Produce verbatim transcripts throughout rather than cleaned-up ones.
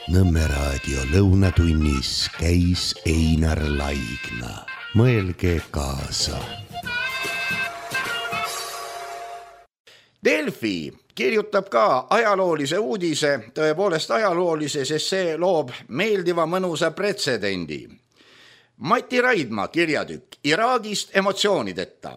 Nõmme raadio lõunatunnis käis Einar Laigna. Mõelge kaasa. Delfi kirjutab ka ajaloolise uudise, tõepoolest ajaloolise, sest see loob meeldiva mõnusa pretsedendi. Mati Raidma kirjatükk Iraagist emotsioonideta.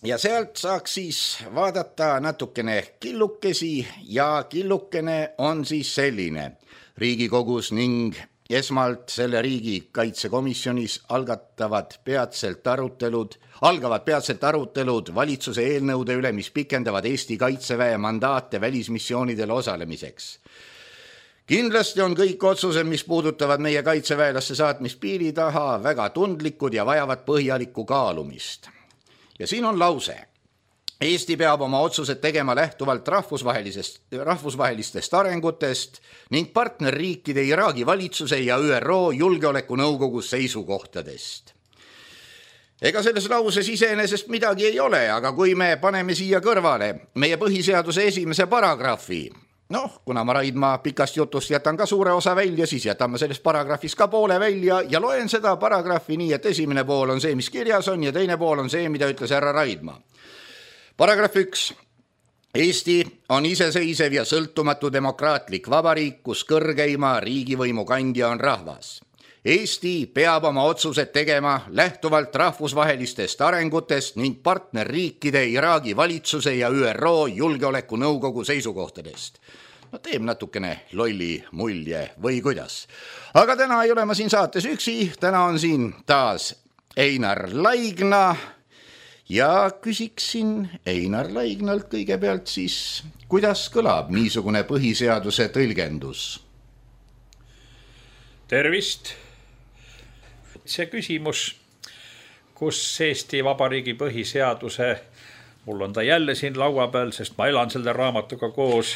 Ja sealt saaks siis vaadata natukene killukesi ja killukene on siis selline. Riigikogus ning esmalt selle riigikaitsekomisjonis algatavad peatselt arutelud, algavad peatselt arutelud valitsuse eelnõude üle, mis pikendavad Eesti kaitseväe mandaate välismissioonidel osalemiseks. Kindlasti on kõik otsused, mis puudutavad meie kaitseväelaste saatmist piiri taha, väga tundlikud ja vajavad põhjalikku kaalumist. Ja siin on lause. Eesti peab oma otsused tegema lähtuvalt rahvusvahelisest, rahvusvahelistest arengutest ning partnerriikide Iraagi valitsuse ja Ü R O julgeolekunõukogu seisukohtadest. Ega selles lauses iseenesest midagi ei ole, aga kui me paneme siia kõrvale meie põhiseaduse esimese paragrahvi, noh, kuna ma Raidma pikast jutust jätan ka suure osa välja, siis jätan ma sellest paragrahvist ka poole välja ja loen seda paragrahvi nii, et esimene pool on see, mis kirjas on ja teine pool on see, mida ütles härra Raidma. Paragrahv üks. Eesti on iseseisev ja sõltumatu demokraatlik vabariik, kus kõrgeima riigivõimu kandja on rahvas. Eesti peab oma otsused tegema lähtuvalt rahvusvahelistest arengutest ning partnerriikide Iraagi valitsuse ja Ü R O julgeolekunõukogu seisukohtadest. No teeb natukene lolli mulje või kuidas. Aga täna ei ole ma siin saates üksi, täna on siin taas Einar Laigna ja küsiksin Einar Laignalt kõigepealt siis, kuidas kõlab niisugune põhiseaduse tõlgendus? Tervist! See küsimus, kus Eesti Vabariigi põhiseaduse, mul on ta jälle siin laua peal, sest ma elan selle raamatuga koos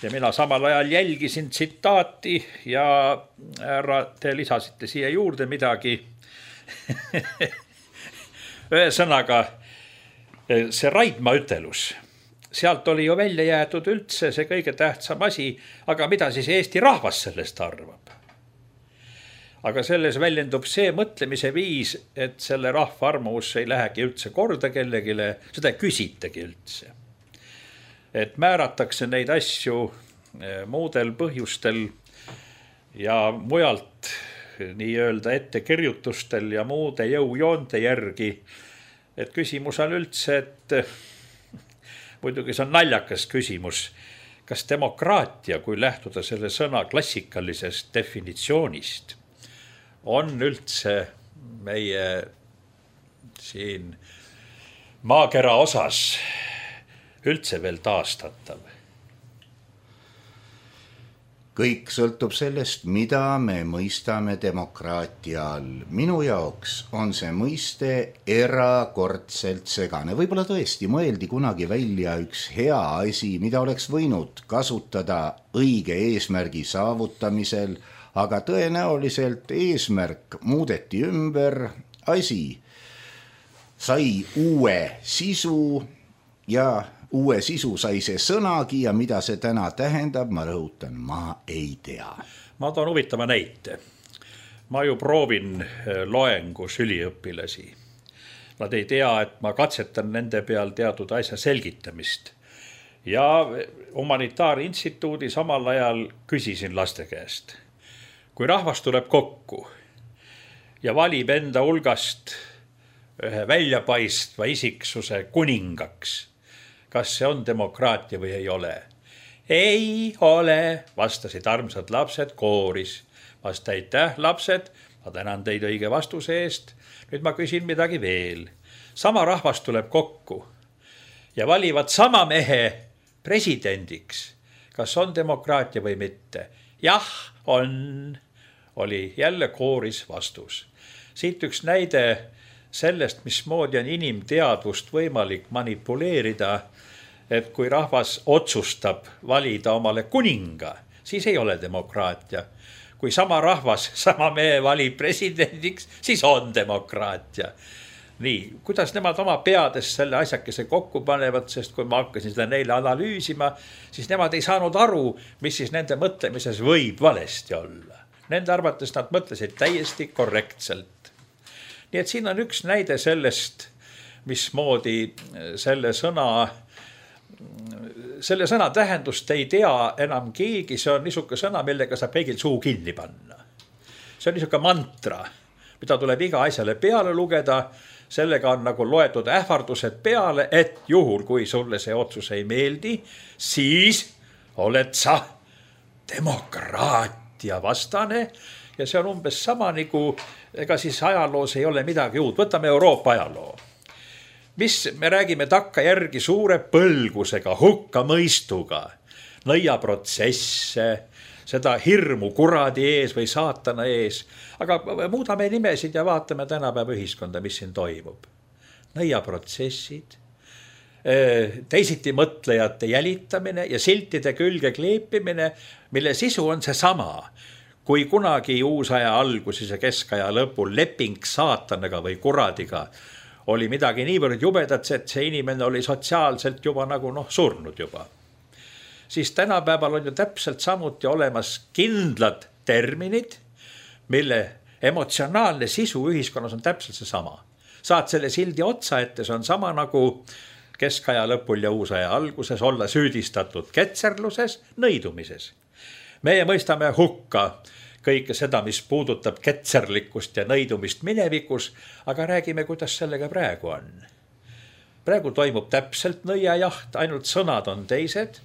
ja mina samal ajal jälgisin tsitaati ja härra, te lisasite siia juurde midagi. Ühesõnaga, see Raidma ütelus, sealt oli ju välja jäetud üldse see kõige tähtsam asi, aga mida siis Eesti rahvas sellest arvab? Aga selles väljendub see mõtlemise viis, et selle rahva arvamus ei lähegi üldse korda kellegile, seda küsitegi üldse. Et määratakse neid asju muudel põhjustel ja mujalt nii-öelda ettekirjutustel ja muude jõujoonte järgi. Et küsimus on üldse, et muidugi see on naljakas küsimus, kas demokraatia, kui lähtuda selle sõna klassikalisest definitsioonist, on üldse meie siin maakera osas üldse veel taastatav? Kõik sõltub sellest, mida me mõistame demokraatia all. Minu jaoks on see mõiste erakordselt segane. Võib-olla tõesti mõeldi kunagi välja üks hea asi, mida oleks võinud kasutada õige eesmärgi saavutamisel, aga tõenäoliselt eesmärk muudeti ümber, asi sai uue sisu ja uue sisu sai see sõnagi ja mida see täna tähendab, ma rõhutan, ma ei tea. Ma toon huvitava näite. Ma ju proovin loengus üliõpilasi. Nad ei tea, et ma katsetan nende peal teatud asja selgitamist. Ja humanitaarinstituudi samal ajal küsisin laste käest. Kui rahvas tuleb kokku ja valib enda hulgast ühe väljapaistva isiksuse kuningaks, kas see on demokraatia või ei ole? Ei ole, vastasid armsad lapsed kooris. Vasta aitäh, lapsed, ma tänan teid õige vastuse eest. Nüüd ma küsin midagi veel. Sama rahvas tuleb kokku ja valivad sama mehe presidendiks. Kas on demokraatia või mitte? Jah, on, oli jälle kooris vastus. Siit üks näide sellest, mismoodi on inimteadvust võimalik manipuleerida, et kui rahvas otsustab valida omale kuninga, siis ei ole demokraatia. Kui sama rahvas, sama mehe valib presidendiks, siis on demokraatia. nii, kuidas nemad oma peades selle asjakese kokku panevad, sest kui ma hakkasin seda neile analüüsima, siis nemad ei saanud aru, mis siis nende mõtlemises võib valesti olla. Nende arvates nad mõtlesid täiesti korrektselt. Nii et siin on üks näide sellest, mismoodi selle sõna, selle sõna tähendust ei tea enam keegi, see on niisugune sõna, millega saab kõigil suu kinni panna. See on niisugune mantra, mida tuleb iga asjale peale lugeda, sellega on nagu loetud ähvardused peale, et juhul, kui sulle see otsus ei meeldi, siis oled sa demokraatia vastane ja see on umbes sama nagu, ega siis ajaloos ei ole midagi uut. Võtame Euroopa ajaloo. Mis me räägime takkajärgi suure põlgusega, hukkamõistuga, nõiaprotsesse, seda hirmu kuradi ees või saatana ees, aga muudame nimesid ja vaatame tänapäeva ühiskonda, mis siin toimub. Nõiaprotsessid, teisiti mõtlejate jälitamine ja siltide külge kleepimine, mille sisu on see sama, kui kunagi uusaja alguses ja keskaja lõpul leping saatanaga või kuradiga oli midagi niivõrd jubedat, et see inimene oli sotsiaalselt juba nagu noh, surnud juba. Siis tänapäeval on ju täpselt samuti olemas kindlad terminid, mille emotsionaalne sisu ühiskonnas on täpselt see sama. Saad selle sildi otsa ette, see on sama nagu keskaja lõpul ja uusaja alguses olla süüdistatud ketserluses, nõidumises. Meie mõistame hukka kõike seda, mis puudutab ketserlikkust ja nõidumist minevikus, aga räägime, kuidas sellega praegu on. Praegu toimub täpselt nõiajaht, ainult sõnad on teised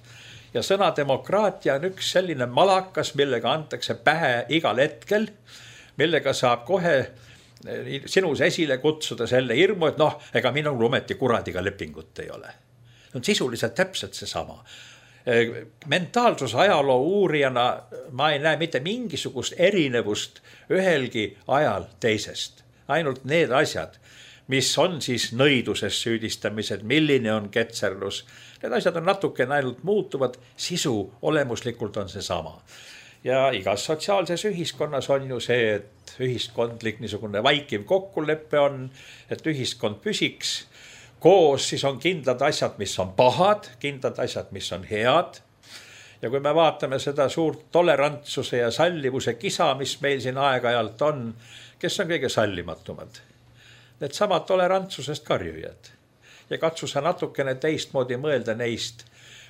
ja sõna demokraatia on üks selline malakas, millega antakse pähe igal hetkel, millega saab kohe sinus esile kutsuda selle hirmu, et noh, ega minul ometi kuradiga lepingut ei ole. See on sisuliselt täpselt see sama. Mentaalsus ajaloo uurijana ma ei näe mitte mingisugust erinevust ühelgi ajal teisest. Ainult need asjad, mis on siis nõiduses süüdistamised, milline on ketserlus. Need asjad on natukene ainult muutuvad, sisu olemuslikult on see sama. Ja igas sotsiaalses ühiskonnas on ju see, et ühiskondlik niisugune vaikiv kokkuleppe on, et ühiskond püsiks. Koos siis on kindlad asjad, mis on pahad, kindlad asjad, mis on head. Ja kui me vaatame seda suurt tolerantsuse ja sallivuse kisa, mis meil siin aeg-ajalt on, kes on kõige sallimatumad? Need samad tolerantsusest karjujad. Ja katsu sa natukene teistmoodi mõelda neist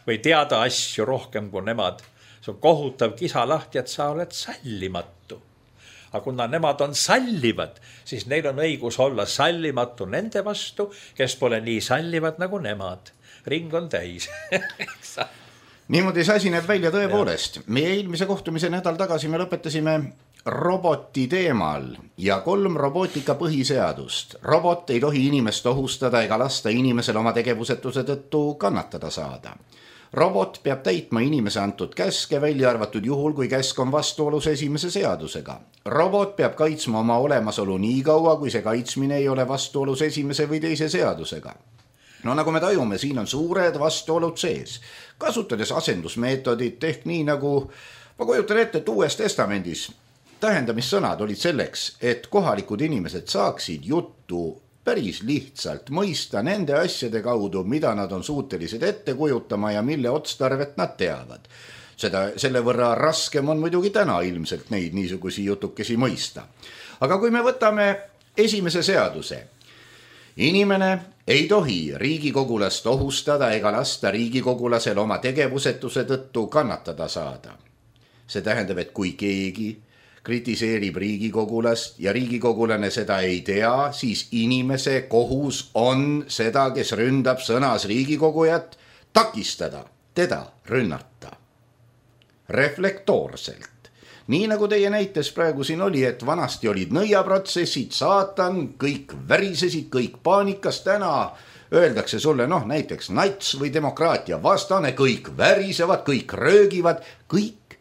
või teada asju rohkem kui nemad. See on kohutav kisa lahti, et sa oled sallimatu. Aga kuna nemad on sallivad, siis neil on õigus olla sallimatu nende vastu, kes pole nii sallivad nagu nemad. Ring on täis. Niimoodi see asi näeb välja tõepoolest. Meie eelmise kohtumise nädal tagasi me lõpetasime roboti teemal ja kolm robotika põhiseadust. Robot ei tohi inimest ohustada ega lasta inimesel oma tegevusetuse tõttu kannatada saada. Robot peab täitma inimese antud käske, välja arvatud juhul, kui käsk on vastuolus esimese seadusega. Robot peab kaitsma oma olemasolu nii kaua, kui see kaitsmine ei ole vastuolus esimese või teise seadusega. No nagu me tajume, siin on suured vastuolud sees. Kasutades asendusmeetodit ehk nii nagu, ma kujutan ette, et Uues Testamendis tähendamissõnad olid selleks, et kohalikud inimesed saaksid juttu päris lihtsalt mõista nende asjade kaudu, mida nad on suutelised ette kujutama ja mille otstarvet nad teavad. Seda, selle võrra raskem on muidugi täna ilmselt neid niisugusi jutukesi mõista. Aga kui me võtame esimese seaduse, inimene ei tohi riigikogulast ohustada ega lasta riigikogulasel oma tegevusetuse tõttu kannatada saada. See tähendab, et kui keegi kritiseerib riigikogulast ja riigikogulane seda ei tea, siis inimese kohus on seda, kes ründab sõnas riigikogujat, takistada, teda rünnata. Reflektoorselt. Nii nagu teie näites praegu siin oli, et vanasti olid nõiaprotsessid, saatan, kõik värisesid, kõik paanikas, täna öeldakse sulle, noh näiteks nats või demokraatia vastane, kõik värisevad, kõik röögivad, kõik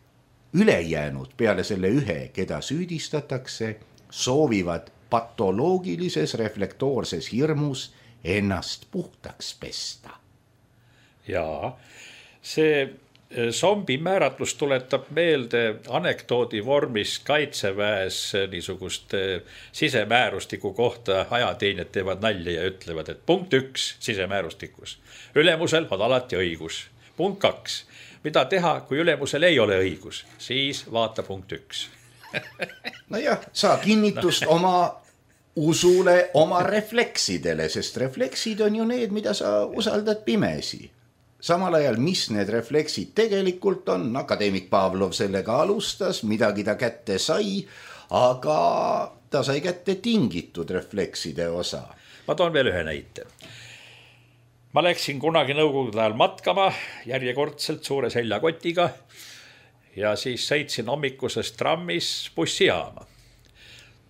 ülejäänud peale selle ühe, keda süüdistatakse, soovivad patoloogilises reflektoorses hirmus ennast puhtaks pesta. Jaa, see Zombi määratlus tuletab meelde anekdoodi vormis kaitseväes niisugust sisemäärustiku kohta ajateenijad teevad nalja ja ütlevad, et punkt üks sisemäärustikus. Ülemusel on alati õigus. Punkt kaks. Mida teha, kui ülemusel ei ole õigus? Siis vaata punkt üks. No jah, saa kinnitust no. oma usule, oma refleksidele, sest refleksid on ju need, mida sa usaldad pimesi. Samal ajal, mis need refleksid tegelikult on, akadeemik Pavlov sellega alustas, midagi ta kätte sai, aga ta sai kätte tingitud reflekside osa. Ma toon veel ühe näite. Ma läksin kunagi nõukogude ajal matkama järjekordselt suure seljakotiga ja siis sõitsin hommikuses trammis bussijaama.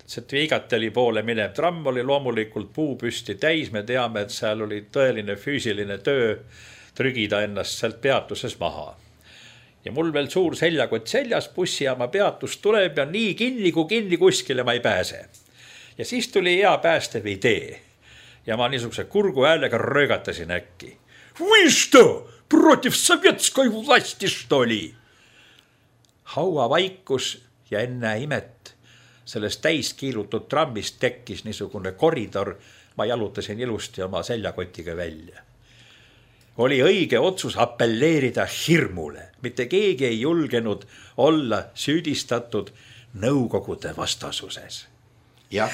See Viigateli poole minev tramm oli loomulikult puupüsti täis, me teame, et seal oli tõeline füüsiline töö trügida ennast sealt peatuses maha. Ja mul veel suur seljakott seljas, bussijaama peatus tuleb ja nii kinni, kui kinni kuskile ma ei pääse. Ja siis tuli hea päästev idee. Ja ma niisuguse kurgu häälega röögatasin äkki. Või što? Protiv sovetskoi vlasti što oli? Haua vaikus ja enne imet sellest täiskiilutud trammist tekkis niisugune koridor. Ma jalutasin ilusti oma seljakotiga välja. Oli õige otsus appelleerida hirmule. Mitte keegi ei julgenud olla süüdistatud nõukogude vastasuses. Ja.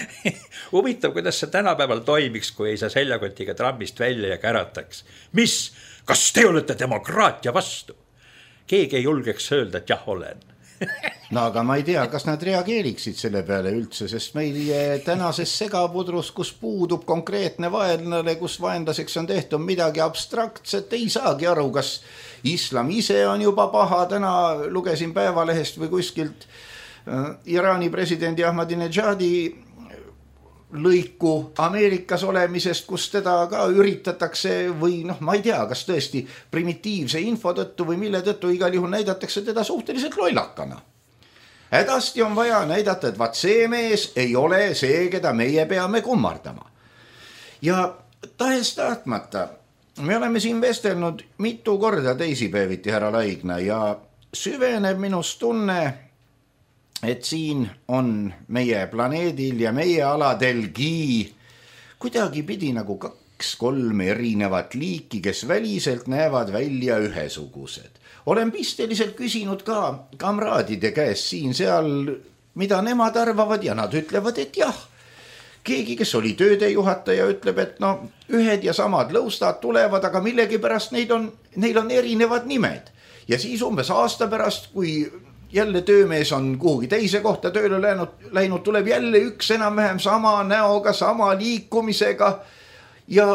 Huvitav, kuidas see tänapäeval toimiks, kui ei saa seljakotiga trammist välja ja kärataks. Mis? Kas te olete demokraatia vastu? Keegi ei julgeks öelda, et jah olen. No aga ma ei tea, kas nad reageeriksid selle peale üldse, sest meil tänases segapudrus, kus puudub konkreetne vaenlane, kus vaenlaseks on tehtud midagi abstraktset, ei saagi aru, kas islam ise on juba paha. Täna lugesin Päevalehest või kuskilt Iraani presidendi Ahmadinejadi lõiku Ameerikas olemisest, kus teda ka üritatakse või noh, ma ei tea, kas tõesti primitiivse info tõttu või mille tõttu igal juhul näidatakse teda suhteliselt lollakana. Hädasti on vaja näidata, et vaat see mees ei ole see, keda meie peame kummardama. Ja tahes tahtmata, me oleme siin vestelnud mitu korda teisipäeviti, härra Laigna, ja süveneb minust tunne, et siin on meie planeedil ja meie aladelgi kuidagi pidi nagu kaks-kolm erinevat liiki, kes väliselt näevad välja ühesugused. Olen pisteliselt küsinud ka kamraadide käest siin seal, mida nemad arvavad ja nad ütlevad, et jah. Keegi, kes oli töödejuhataja, ütleb, et no ühed ja samad lõustad tulevad, aga millegi pärast neid on, neil on erinevad nimed. Ja siis umbes aasta pärast, kui jälle töömees on kuhugi teise kohta tööle läinud, läinud, tuleb jälle üks enam-vähem sama näoga, sama liikumisega ja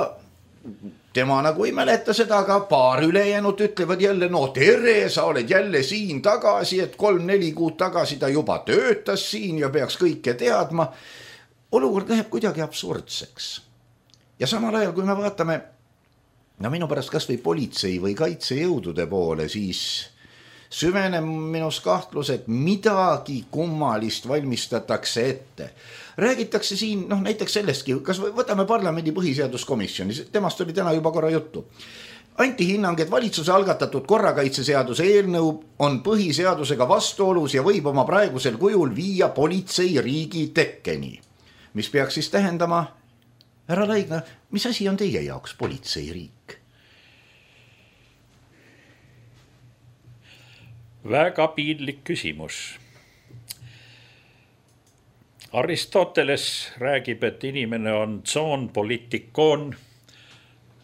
tema nagu ei mäleta seda, aga paar ülejäänud ütlevad jälle, no tere, sa oled jälle siin tagasi, et kolm-neli kuud tagasi ta juba töötas siin ja peaks kõike teadma. Olukord läheb kuidagi absurdseks. Ja samal ajal, kui me vaatame, no minu pärast kas või politsei või kaitsejõudude poole, siis süveneb minus kahtlus, et midagi kummalist valmistatakse ette. Räägitakse siin, noh näiteks sellestki, kas võtame parlamendi põhiseaduskomisjoni, temast oli täna juba korra juttu. Anti hinnang, et valitsuse algatatud korrakaitseseaduse eelnõu on põhiseadusega vastuolus ja võib oma praegusel kujul viia politseiriigi tekkeni. Mis peaks siis tähendama, härra Laigna, mis asi on teie jaoks politseiriik? Väga piinlik küsimus. Aristoteles räägib, et inimene on zoon politikon,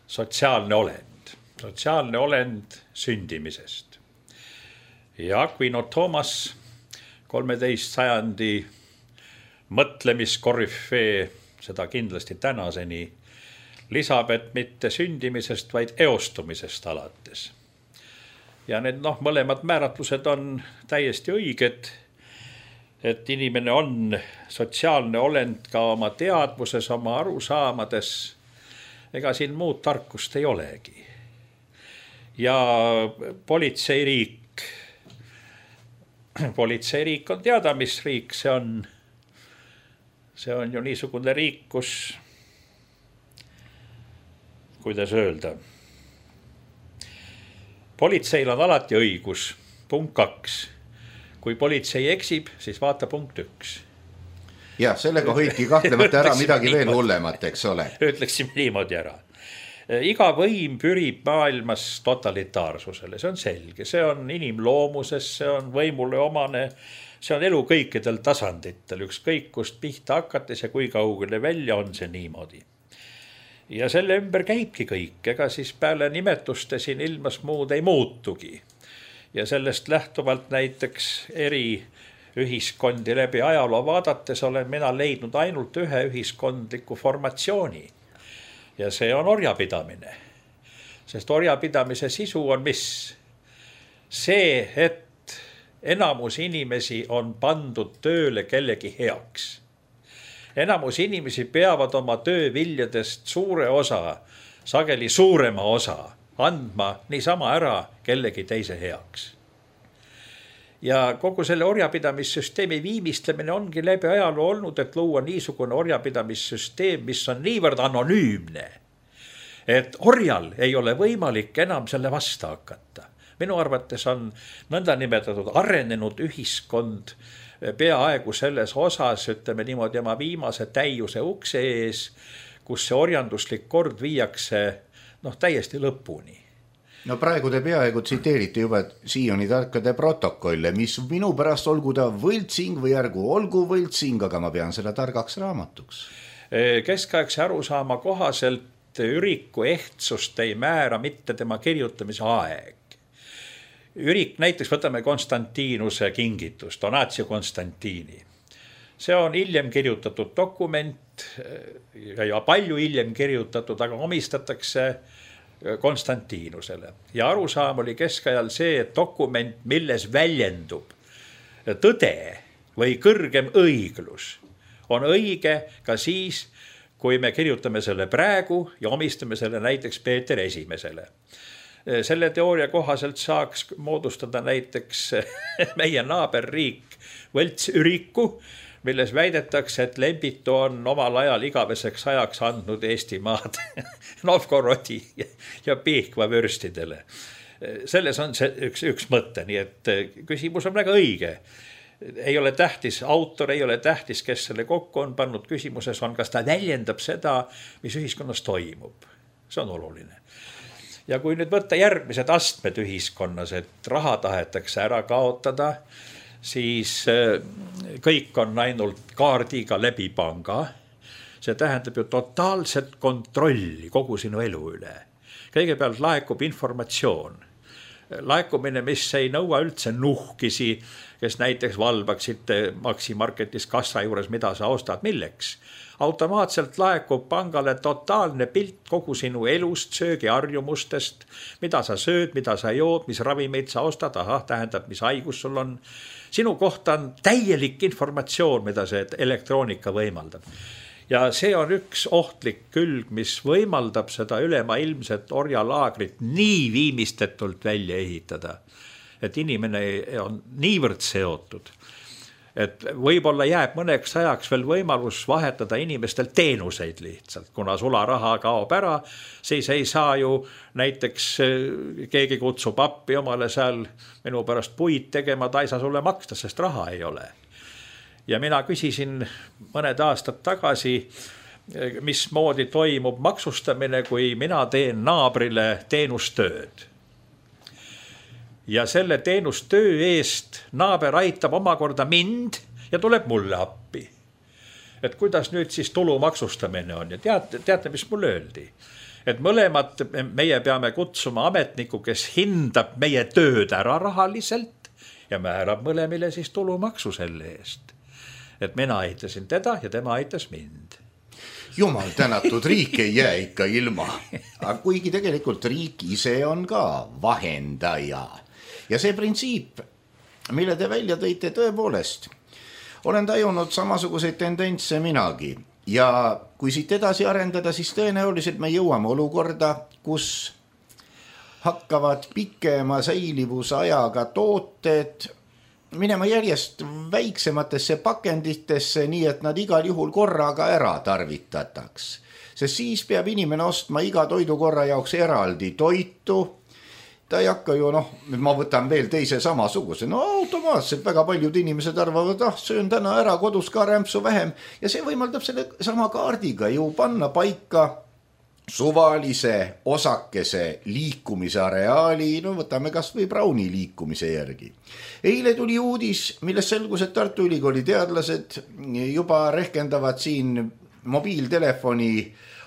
sotsiaalne olend. Sotsiaalne olend sündimisest. Ja Aquino Thomas, kolmeteist sajandi mõtlemiskorüfee, seda kindlasti tänaseni, lisab, et mitte sündimisest, vaid eostumisest alates. Ja need noh, mõlemad määratlused on täiesti õiged, et inimene on sotsiaalne olend ka oma teadvuses, oma arusaamades. Ega siin muud tarkust ei olegi. Ja politseiriik, politseiriik on teada, mis riik see on. See on ju niisugune riik, kus, kuidas öelda, politseil on alati õigus, punkt kaks. Kui politsei eksib, siis vaata punkt üks. Jah, sellega hoiti kahtlemata ära midagi veel hullemat, eks ole. Ütleksime niimoodi ära. Iga võim pürib maailmas totalitaarsusele, see on selge, see on inimloomuses, see on võimule omane, see on elu kõikidel tasanditel, ükskõik kust pihta hakates ja kui kaugele välja on see niimoodi. Ja selle ümber käibki kõik, ega siis peale nimetuste siin ilmas muud ei muutugi. Ja sellest lähtuvalt näiteks eri ühiskondi läbi ajaloo vaadates olen mina leidnud ainult ühe ühiskondliku formatsiooni. Ja see on orjapidamine. Sest orjapidamise sisu on mis? See, et enamus inimesi on pandud tööle kellegi heaks. Enamus inimesi peavad oma tööviljadest suure osa, sageli suurema osa, andma niisama ära kellegi teise heaks. Ja kogu selle orjapidamissüsteemi viimistlemine ongi läbi ajaloo olnud, et luua niisugune orjapidamissüsteem, mis on niivõrd anonüümne, et orjal ei ole võimalik enam selle vastu hakata. Minu arvates on nõnda nimetatud arenenud ühiskond peaaegu selles osas, ütleme niimoodi, oma viimase täiuse ukse ees, kus see orjanduslik kord viiakse noh, täiesti lõpuni. No praegu te peaaegu tsiteerite juba Sioni tarkade protokolle, mis minu pärast olgu ta võltsing või ärgu olgu võltsing, aga ma pean seda targaks raamatuks. Keskaegse arusaama kohaselt üriku ehtsust ei määra mitte tema kirjutamise aeg. Ürik, näiteks võtame Konstantinuse kingitus, Donatio Konstantini. See on hiljem kirjutatud dokument ja palju hiljem kirjutatud, aga omistatakse Konstantinusele. Ja arusaam oli keskajal see, et dokument, milles väljendub tõde või kõrgem õiglus, on õige ka siis, kui me kirjutame selle praegu ja omistame selle näiteks Peeter Esimesele. Selle teooria kohaselt saaks moodustada näiteks meie naaberriik Võlts-Üriku, milles väidetakse, et Lembitu on omal ajal igaveseks ajaks andnud Eestimaad Novgorodi ja Pihkva vürstidele. Selles on see üks, üks mõte, nii et küsimus on väga õige. Ei ole tähtis, autor ei ole tähtis, kes selle kokku on pannud. Küsimuses on, kas ta väljendab seda, mis ühiskonnas toimub. See on oluline. Ja kui nüüd võtta järgmised astmed ühiskonnas, et raha tahetakse ära kaotada, siis kõik on ainult kaardiga läbi panga. See tähendab ju totaalset kontrolli kogu sinu elu üle. Kõigepealt laekub informatsioon. Laekumine, mis ei nõua üldse nuhkisi, kes näiteks valvaksid Maxi Marketis kassa juures, mida sa ostad, milleks. Automaatselt laekub pangale totaalne pilt kogu sinu elust, söögiharjumustest, mida sa sööd, mida sa jood, mis ravimeid sa ostad, aha, tähendab, mis haigus sul on. Sinu kohta on täielik informatsioon, mida see elektroonika võimaldab. Ja see on üks ohtlik külg, mis võimaldab seda ülemaailmset orjalaagrit nii viimistetult välja ehitada, et inimene on niivõrd seotud, et võib-olla jääb mõneks ajaks veel võimalus vahetada inimestel teenuseid lihtsalt, kuna sularaha kaob ära, siis ei saa ju näiteks keegi kutsub appi omale seal minu pärast puid tegema, ta ei saa sulle maksta, sest raha ei ole. Ja mina küsisin mõned aastad tagasi, mismoodi toimub maksustamine, kui mina teen naabrile teenustööd. Ja selle teenustöö eest naaber aitab omakorda mind ja tuleb mulle appi. Et kuidas nüüd siis tulu maksustamine on ja teate, teate, mis mulle öeldi? Et mõlemad meie peame kutsuma ametniku, kes hindab meie tööd ära rahaliselt ja määrab mõlemile siis tulumaksu selle eest. Et mina aitasin teda ja tema aitas mind. Jumal tänatud, riik ei jää ikka ilma. Aga kuigi tegelikult riik ise on ka vahendaja. Ja see printsiip, mille te välja tõite tõepoolest, olen tajunud samasuguseid tendentse minagi. Ja kui siit edasi arendada, siis tõenäoliselt me jõuame olukorda, kus hakkavad pikema säilivusajaga tooted minema järjest väiksematesse pakenditesse, nii et nad igal juhul korraga ära tarvitataks. Sest siis peab inimene ostma iga toidukorra jaoks eraldi toitu ta ei hakka ju, noh, ma võtan veel teise samasuguse, no automaatselt väga paljud inimesed arvavad, ah, söön täna ära kodus ka rämpsu vähem ja see võimaldab selle sama kaardiga ju panna paika suvalise osakese liikumise areaali, no võtame kas või Browni liikumise järgi. Eile tuli uudis, millest selgus, et Tartu Ülikooli teadlased juba rehkendavad siin mobiiltelefoni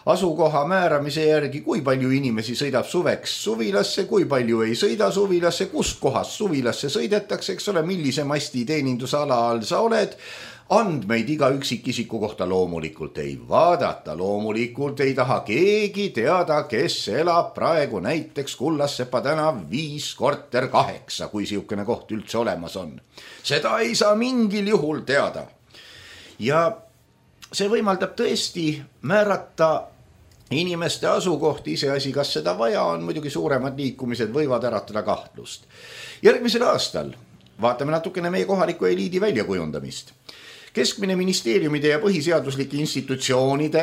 asukoha määramise järgi, kui palju inimesi sõidab suveks suvilasse, kui palju ei sõida suvilasse, kust kohast suvilasse sõidetakse, eks ole, millise masti teenindusala all sa oled. Andmeid iga üksikisiku kohta loomulikult ei vaadata, loomulikult ei taha keegi teada, kes elab praegu näiteks Kullassepa tänav viis korter kaheksa, kui siukene koht üldse olemas on. Seda ei saa mingil juhul teada. Ja see võimaldab tõesti määrata inimeste asukohti, iseasi, kas seda vaja on, muidugi suuremad liikumised võivad äratada kahtlust. Järgmisel aastal vaatame natukene meie kohaliku eliidi väljakujundamist. Keskmine ministeeriumide ja põhiseaduslike institutsioonide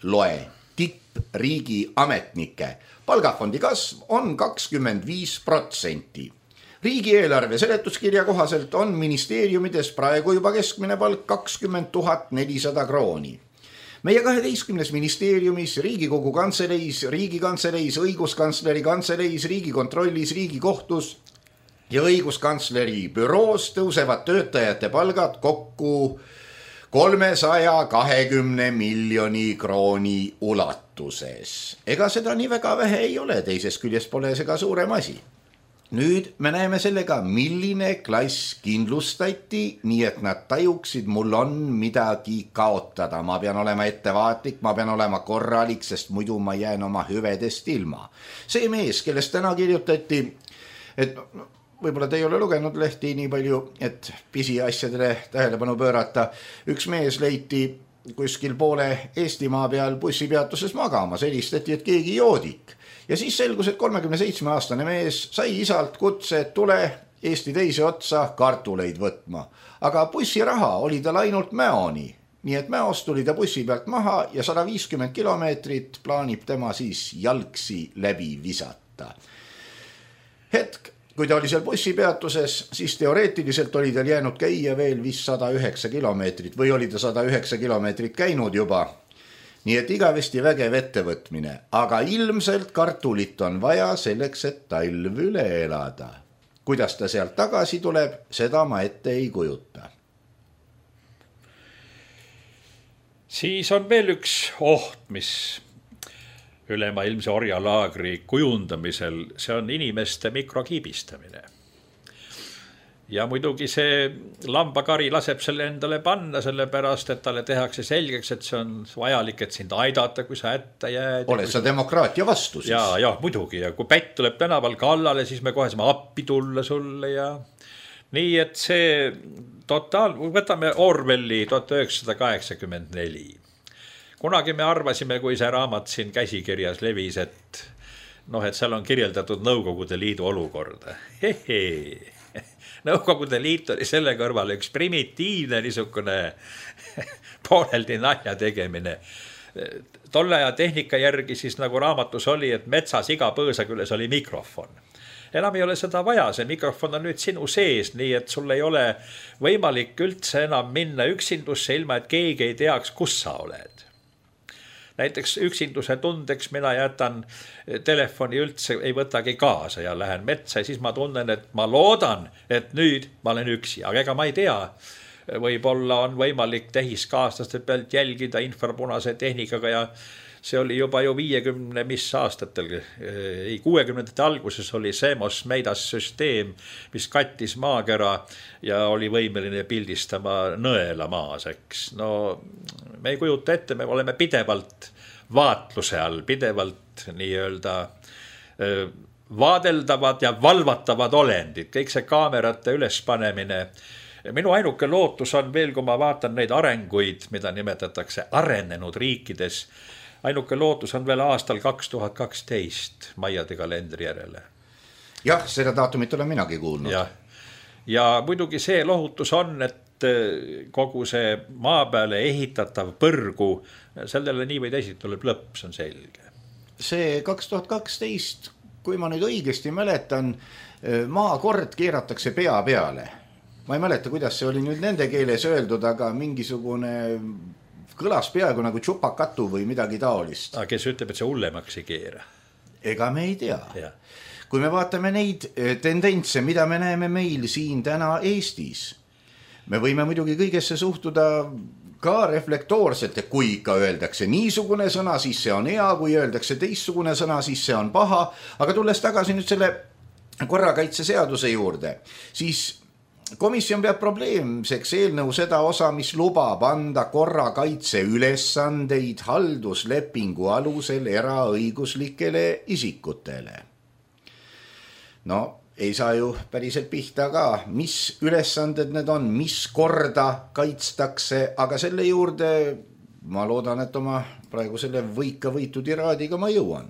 loe tipp riigi ametnike palgafondi kasv on kakskümmend viis protsenti. Riigieelarve seletuskirja kohaselt on ministeeriumides praegu juba keskmine palk kakskümmend tuhat nelisada krooni. Meie kaheteistkümnes ministeeriumis, Riigikogu kantseleis, Riigikantseleis, õiguskantsleri kantseleis, Riigikontrollis, Riigikohtus ja õiguskantsleri büroos tõusevad töötajate palgad kokku kolmesaja kahekümne miljoni krooni ulatuses. Ega seda nii väga vähe ei ole, teises küljes pole see ka suurem asi. Nüüd me näeme sellega, milline klass kindlustati, nii et nad tajuksid, mul on midagi kaotada. Ma pean olema ettevaatlik, ma pean olema korralik, sest muidu ma jään oma hüvedest ilma. See mees, kellest täna kirjutati, et võib-olla te ei ole lugenud lehti nii palju, et pisiasjadele tähelepanu pöörata. Üks mees leiti kuskil poole Eestimaa peal bussipeatuses magama, selistati, et keegi joodik. Ja siis selgus, et kolmekümne seitsme aastane mees sai isalt kutse, et tule Eesti teise otsa kartuleid võtma. Aga bussiraha oli tal ainult Mäoni, nii et Mäost tuli ta bussi pealt maha ja sada viiskümmend kilomeetrit plaanib tema siis jalgsi läbi visata. Hetk, kui ta oli seal bussipeatuses, siis teoreetiliselt oli tal jäänud käia veel vist sada üheksa kilomeetrit või oli ta sada üheksa kilomeetrit käinud juba. Nii et igavesti vägev ettevõtmine, aga ilmselt kartulit on vaja selleks, et talv üle elada. Kuidas ta sealt tagasi tuleb, seda ma ette ei kujuta. Siis on veel üks oht, mis ülemaailmse orjalaagri kujundamisel, see on inimeste mikrokiibistamine. Ja muidugi see lambakari laseb selle endale panna, sellepärast, et talle tehakse selgeks, et see on vajalik, et sind aidata, kui sa hätta jääd. Oled sa demokraatia vastu siis? Ja, ja, muidugi. Ja kui pätt tuleb tänaval kallale, siis me kohe saame appi tulla sulle ja nii, et see totaal, võtame Orwelli tuhat üheksasada kaheksakümmend neli. Kunagi me arvasime, kui see raamat siin käsikirjas levis, et noh, et seal on kirjeldatud Nõukogude Liidu olukorda. Hehe. Nõukogude Liit oli selle kõrval üks primitiivne niisugune pooleldi nalja tegemine. Tolle aja tehnika järgi siis nagu raamatus oli, et metsas iga põõsa küljes oli mikrofon. Enam ei ole seda vaja, see mikrofon on nüüd sinu sees, nii et sul ei ole võimalik üldse enam minna üksindusse ilma, et keegi ei teaks, kus sa oled. Näiteks üksinduse tundeks mina jätan telefoni üldse ei võtagi kaasa ja lähen metsa ja siis ma tunnen, et ma loodan, et nüüd ma olen üksi. Aga ega ma ei tea, võib-olla on võimalik tehiskaaslaste pealt jälgida infrapunase tehnikaga ja see oli juba ju viiekümne mis aastatel, ei kuuekümnendate alguses oli Semos Meidas süsteem, mis kattis maakera ja oli võimeline pildistama nõela maas, eks. No me ei kujuta ette, me oleme pidevalt vaatluse all, pidevalt nii-öelda vaadeldavad ja valvatavad olendid, kõik see kaamerate ülespanemine. Minu ainuke lootus on veel, kui ma vaatan neid arenguid, mida nimetatakse arenenud riikides, ainuke lootus on veel aastal kaks tuhat kaksteist Maiade kalendri järele. Jah, seda daatumit olen minagi kuulnud. Ja, ja muidugi see lohutus on, et kogu see maa peale ehitatav põrgu, sellele nii või teisiti tuleb lõpp, see on selge. See kaks tuhat kaksteist kui ma nüüd õigesti mäletan, maakord keeratakse pea peale. Ma ei mäleta, kuidas see oli nüüd nende keeles öeldud, aga mingisugune kõlas peaaegu nagu tšupakatu või midagi taolist. Aga kes ütleb, et see hullemaks ei keera? Ega me ei tea. Ja. Kui me vaatame neid tendentse, mida me näeme meil siin täna Eestis, me võime muidugi kõigesse suhtuda ka reflektoorselt, et kui ikka öeldakse niisugune sõna, siis see on hea, kui öeldakse teistsugune sõna, siis see on paha, aga tulles tagasi nüüd selle korrakaitseseaduse juurde, siis komisjon peab probleemseks eelnõu seda osa, mis lubab anda korrakaitse ülesandeid halduslepingu alusel eraõiguslikele isikutele. No, ei saa ju päriselt pihta ka, mis ülesanded need on, mis korda kaitstakse, aga selle juurde ma loodan, et oma praegu selle võika võitu tiraadiga ma jõuan.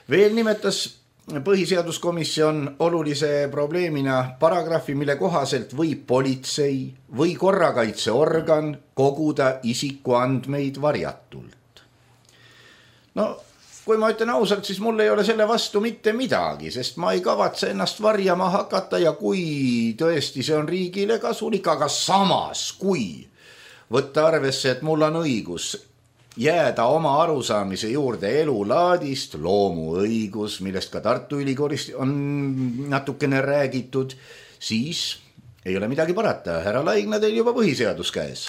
Veel nimetas põhiseaduskomisjon olulise probleemina paragrahvi, mille kohaselt võib politsei või korrakaitseorgan koguda isikuandmeid varjatult. No, kui ma ütlen ausalt, siis mul ei ole selle vastu mitte midagi, sest ma ei kavatse ennast varjama hakata ja kui tõesti see on riigile kasulik, aga samas kui võtta arvesse, et mul on õigus jääda oma arusaamise juurde elulaadist, loomuõigus, millest ka Tartu Ülikoolist on natukene räägitud, siis ei ole midagi parata. Härra Laigna, teil juba põhiseadus käes.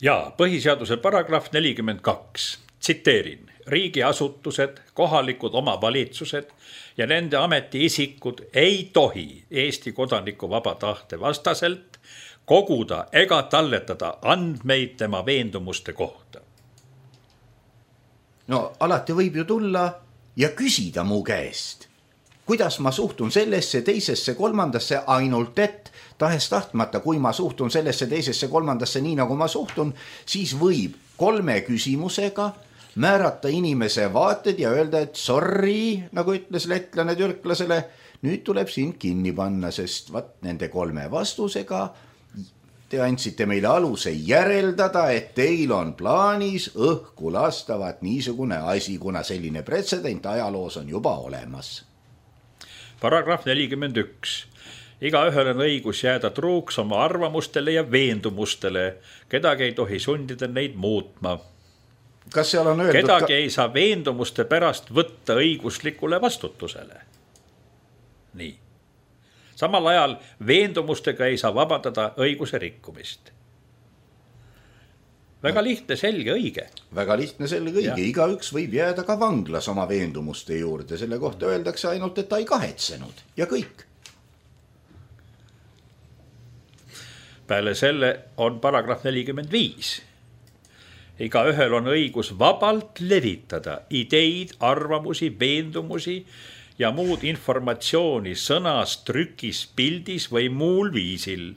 Ja, põhiseaduse paragrahv nelikümmend kaks, tsiteerin, riigiasutused, kohalikud omavalitsused ja nende ametiisikud ei tohi Eesti kodaniku vaba tahte vastaselt koguda ega talletada andmeid tema veendumuste kohta. No alati võib ju tulla ja küsida mu käest, kuidas ma suhtun sellesse, teisesse, kolmandasse, ainult et tahes tahtmata, kui ma suhtun sellesse, teisesse, kolmandasse nii nagu ma suhtun, siis võib kolme küsimusega määrata inimese vaated ja öelda, et sorry, nagu ütles lettlane türklasele, nüüd tuleb sind kinni panna, sest vat nende kolme vastusega te andsite meile aluse järeldada, et teil on plaanis õhku lastavat niisugune asi, kuna selline pretsedent ajaloos on juba olemas. Paragrahv nelikümmend üks. Iga ühel on õigus jääda truuks oma arvamustele ja veendumustele. Kedagi ei tohi sundida neid muutma. Kas seal on öeldud Kedagi ka... ei saa veendumuste pärast võtta õiguslikule vastutusele. Nii. Samal ajal veendumustega ei saa vabandada õiguse rikkumist. Väga lihtne, selge, õige. Väga lihtne, selge, õige. Igaüks võib jääda ka vanglas oma veendumuste juurde. Selle kohta öeldakse ainult, et ta ei kahetsenud. Ja kõik. Peale selle on paragrahv nelikümmend viis. Iga ühel on õigus vabalt levitada ideid, arvamusi, veendumusi ja muud informatsiooni sõnas, trükis, pildis või muul viisil.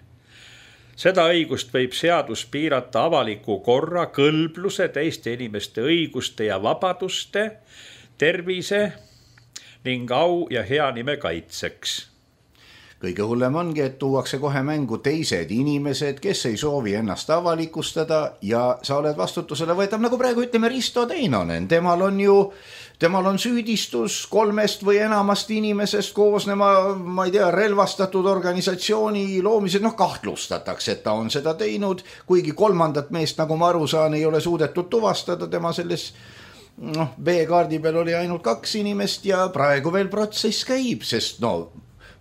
Seda õigust võib seadus piirata avaliku korra, kõlbluse, teiste inimeste õiguste ja vabaduste, tervise ning au ja hea nime kaitseks. Kõige hullem ongi, et tuuakse kohe mängu teised inimesed, kes ei soovi ennast avalikustada ja sa oled vastutusele võetav, nagu praegu ütleme Risto Teinonen. Temal on ju, temal on süüdistus kolmest või enamast inimesest koosnema, ma ei tea, relvastatud organisatsiooni loomised, noh kahtlustatakse, et ta on seda teinud, kuigi kolmandat meest, nagu ma aru saan, ei ole suudetud tuvastada, tema selles noh, B-kaardi peal oli ainult kaks inimest ja praegu veel protsess käib, sest no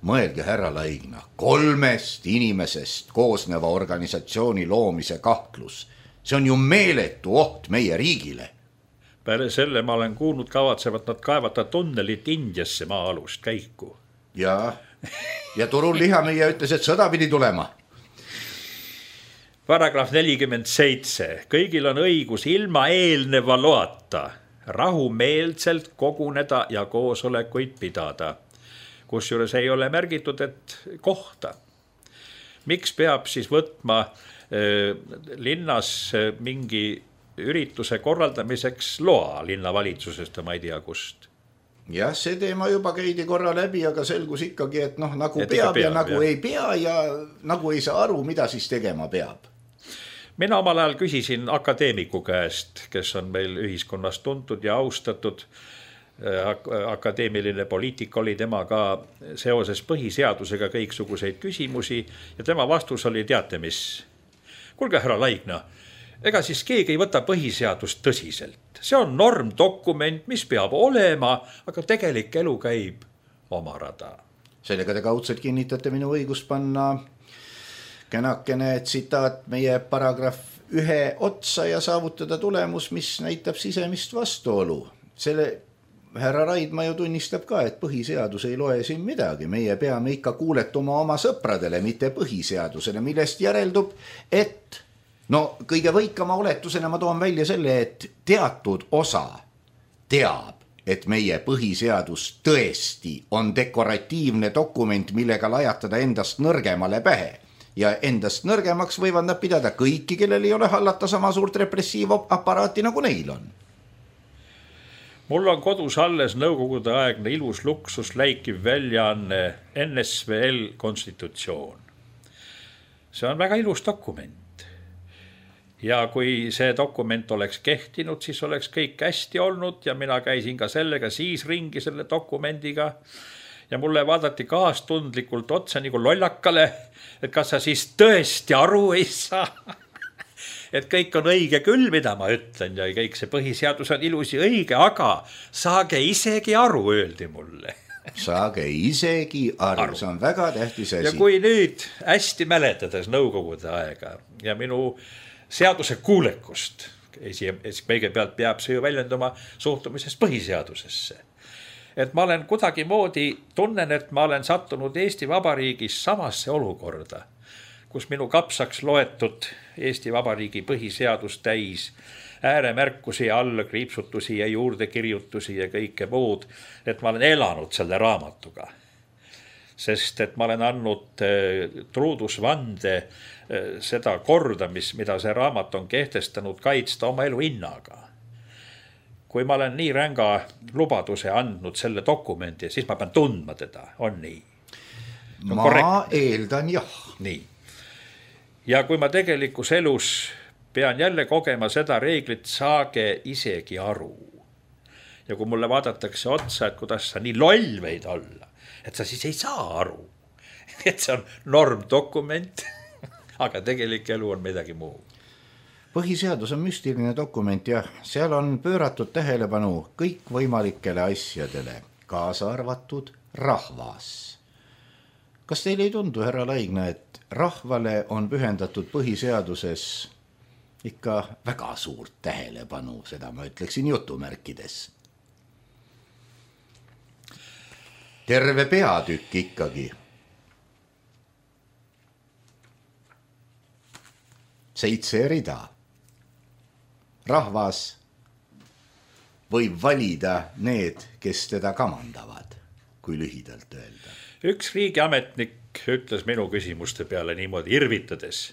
mõelge, härra Laigna, kolmest inimesest koosneva organisatsiooni loomise kahtlus. See on ju meeletu oht meie riigile. Peale selle ma olen kuulnud, kavatsevad nad kaevata tunnelit Indiasse maa-alust käiku. Ja, ja Turul Lihamüüja ütles, et sõda pidi tulema. Paragrahv nelikümmend seitse. Kõigil on õigus ilma eelneva loata rahumeelselt koguneda ja koosolekuid pidada. Kusjuures ei ole märgitud, et kohta. Miks peab siis võtma äh, linnas mingi ürituse korraldamiseks loa linnavalitsusest ja ma ei tea kust? Jah, see teema juba käidi korra läbi, aga selgus ikkagi, et noh, nagu et peab, peab ja nagu jah. ei pea ja nagu ei saa aru, mida siis tegema peab. Mina omal ajal küsisin akadeemiku käest, kes on meil ühiskonnas tuntud ja austatud, akadeemiline poliitik oli tema ka seoses põhiseadusega kõiksuguseid küsimusi ja tema vastus oli, teate mis, kuulge härra Laigna, ega siis keegi ei võta põhiseadust tõsiselt. See on normdokument, mis peab olema, aga tegelik elu käib oma rada. Sellega te kaudselt kinnitate minu õigust panna kenakene tsitaat meie paragrahv ühe otsa ja saavutada tulemus, mis näitab sisemist vastuolu. Selle härra Raidma ju tunnistab ka, et põhiseadus ei loe siin midagi. Meie peame ikka kuuletuma oma sõpradele, mitte põhiseadusele, millest järeldub, et no kõige võikama oletusena ma toon välja selle, et teatud osa teab, et meie põhiseadus tõesti on dekoratiivne dokument, millega lajatada endast nõrgemale pähe. Ja endast nõrgemaks võivad nad pidada kõiki, kellel ei ole hallata sama suurt repressiivaparaati nagu neil on. Mul on kodus alles nõukogude aegne ilus luksus läikiv väljaanne N S V L konstitutsioon. See on väga ilus dokument. Ja kui see dokument oleks kehtinud, siis oleks kõik hästi olnud ja mina käisin ka sellega siis ringi selle dokumendiga. Ja mulle vaadati kaastundlikult otsa nagu lollakale, et kas sa siis tõesti aru ei saa. Et kõik on õige küll, mida ma ütlen ja kõik see põhiseadus on ilusi õige, aga saage isegi aru, öeldi mulle. Saage isegi aru, aru. See on väga tähtis asi. Ja kui nüüd hästi mäletades nõukogude aega ja minu seaduse kuulekust, kõigepealt peab see ju väljenduma suhtumisest põhiseadusesse. Et ma olen kuidagi moodi, tunnen, et ma olen sattunud Eesti Vabariigis samasse olukorda, kus minu kapsaks loetud Eesti Vabariigi põhiseadus täis ääremärkusi, allakriipsutusi ja juurdekirjutusi ja kõike muud, et ma olen elanud selle raamatuga. Sest et ma olen andnud truudusvande seda korda, mis, mida see raamat on kehtestanud kaitsta oma elu hinnaga. Kui ma olen nii ränga lubaduse andnud selle dokumendi, siis ma pean tundma teda, on nii. On ma korrekt. Eeldan jah. Nii. Ja kui ma tegelikus elus pean jälle kogema seda reeglit, saage isegi aru. Ja kui mulle vaadatakse otsa, et kuidas sa nii loll võid olla, et sa siis ei saa aru. Et see on normdokument, aga tegelik elu on midagi muu. Põhiseadus on müstiline dokument ja seal on pööratud tähelepanu kõik võimalikele asjadele, kaasa arvatud rahvas. Kas teile ei tundu, härra Laigna, et rahvale on pühendatud põhiseaduses ikka väga suurt tähelepanu, seda ma ütleksin jutumärkides? Terve peatükk ikkagi. Seitse rida. Rahvas võib valida need, kes teda kamandavad, kui lühidalt öelda. Üks riigiametnik ütles minu küsimuste peale niimoodi irvitades,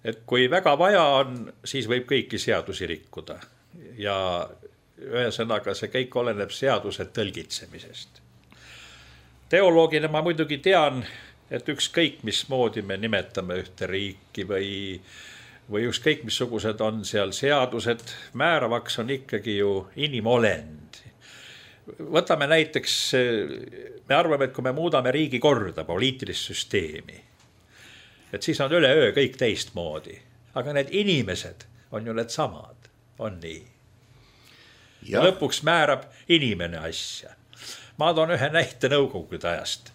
et kui väga vaja on, siis võib kõiki seadusi rikkuda. Ja ühesõnaga see kõik oleneb seaduse tõlgitsemisest. Teoloogina ma muidugi tean, et ükskõik mismoodi me nimetame ühte riiki või või ükskõik missugused on seal seadused, määravaks on ikkagi ju inimolend. Võtame näiteks, me arvame, et kui me muudame riigi korda, poliitilist süsteemi, et siis on üle öö kõik teistmoodi. Aga need inimesed on ju need samad, on nii. Ja lõpuks määrab inimene asja. Ma toon ühe näite nõukogude ajast.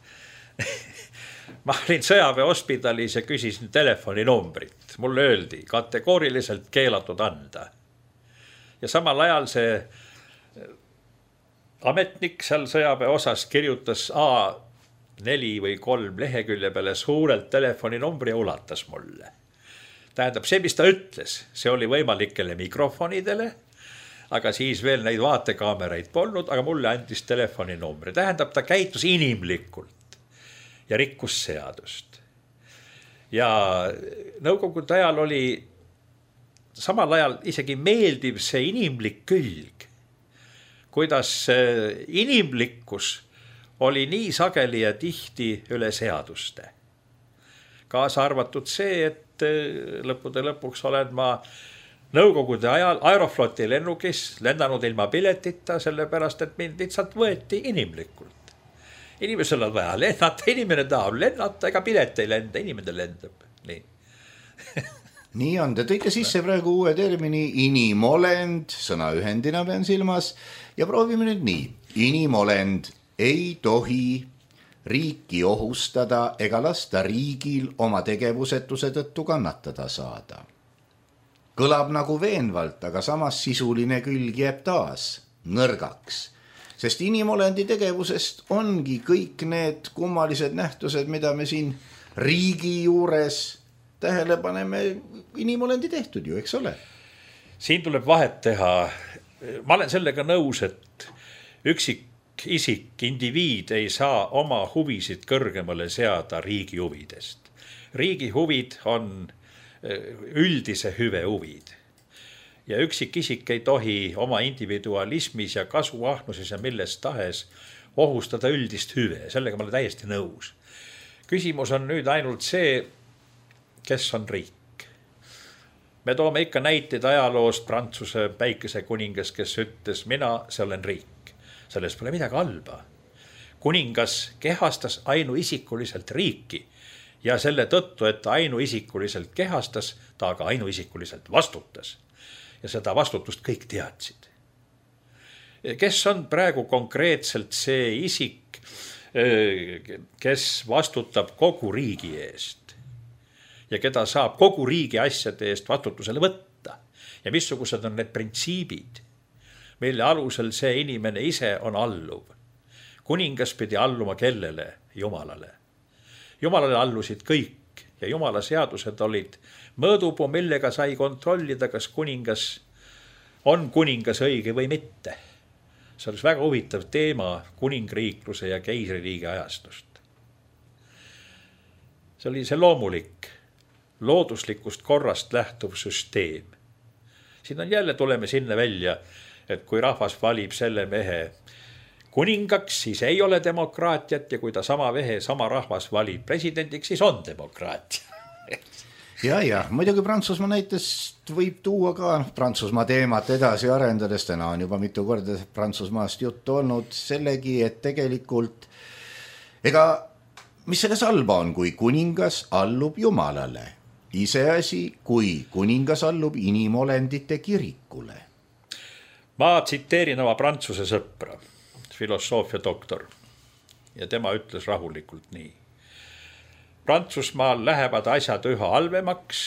Ma olin sõjaväe hospitalis ja küsisin telefoninumbrit. Mulle öeldi kategooriliselt keelatud anda. Ja samal ajal see ametnik seal sõjaväe osas kirjutas A neli või kolm lehekülje peale suurelt telefoninumbri ja ulatas mulle. Tähendab, see, mis ta ütles, see oli võimalikele mikrofonidele, aga siis veel neid vaatekaameraid polnud, aga mulle andis telefoninumbri. Tähendab, ta käitus inimlikult ja rikkus seadust. Ja nõukogude ajal oli samal ajal isegi meeldiv see inimlik külg, kuidas inimlikkus oli nii sageli ja tihti üle seaduste. Kaasa arvatud see, et lõppude lõpuks olen ma Nõukogude ajal Aerofloti lennukis lennanud ilma piletita, sellepärast, et mind lihtsalt võeti inimlikult. Inimesel on vaja lennata, inimene tahab lennata, ega pilet ei lenda, inimene lendab. Nii. Nii on, te tõite sisse praegu uue termini inimolend, sõnaühendina pean silmas, ja proovime nüüd nii. Inimolend ei tohi riiki ohustada ega lasta riigil oma tegevusetuse tõttu kannatada saada. Kõlab nagu veenvalt, aga samas sisuline külg jääb taas nõrgaks, sest inimolendi tegevusest ongi kõik need kummalised nähtused, mida me siin riigi juures tähele paneme, inimolendi tehtud ju, eks ole? Siin tuleb vahet teha. Ma olen sellega nõus, et üksik isik, indiviid ei saa oma huvisid kõrgemale seada riigi huvidest. Riigi huvid on üldise hüve huvid. Ja üksik isik ei tohi oma individualismis ja kasuahnuses ja milles tahes ohustada üldist hüve. Sellega ma olen täiesti nõus. Küsimus on nüüd ainult see, kes on riik. Me toome ikka näiteid ajaloost Prantsuse päikese kuningas, kes ütles, mina, see olen riik. Selles pole midagi halba. Kuningas kehastas ainuisikuliselt riiki. Ja selle tõttu, et ta ainuisikuliselt kehastas, ta aga ainuisikuliselt vastutas. Ja seda vastutust kõik teadsid. Kes on praegu konkreetselt see isik, kes vastutab kogu riigi eest ja keda saab kogu riigi asjade eest vastutusele võtta? Ja missugused on need printsiibid, mille alusel see inimene ise on alluv? Kuningas pidi alluma kellele? Jumalale. Jumalale allusid kõik ja Jumala seadused olid mõõdupuu, millega sai kontrollida, kas kuningas on kuningas õige või mitte. See oleks väga huvitav teema kuningriikluse ja keisririigi ajastust. See oli see loomulik, looduslikust korrast lähtuv süsteem. Siin on jälle tuleme sinna välja, et kui rahvas valib selle mehe kuningaks, siis ei ole demokraatiat ja kui ta sama vehe, sama rahvas valib presidendiks, siis on demokraatia. ja, ja, muidugi Prantsusmaa näitest võib tuua ka Prantsusmaa teemat edasi arendades, täna on juba mitu korda Prantsusmaast juttu olnud sellegi, et tegelikult ega mis selles halba on, kui kuningas allub Jumalale, iseasi, kui kuningas allub inimolendite kirikule. Ma tsiteerin oma Prantsuse sõpra, filosoofia doktor, ja tema ütles rahulikult nii. Prantsusmaal lähevad asjad üha halvemaks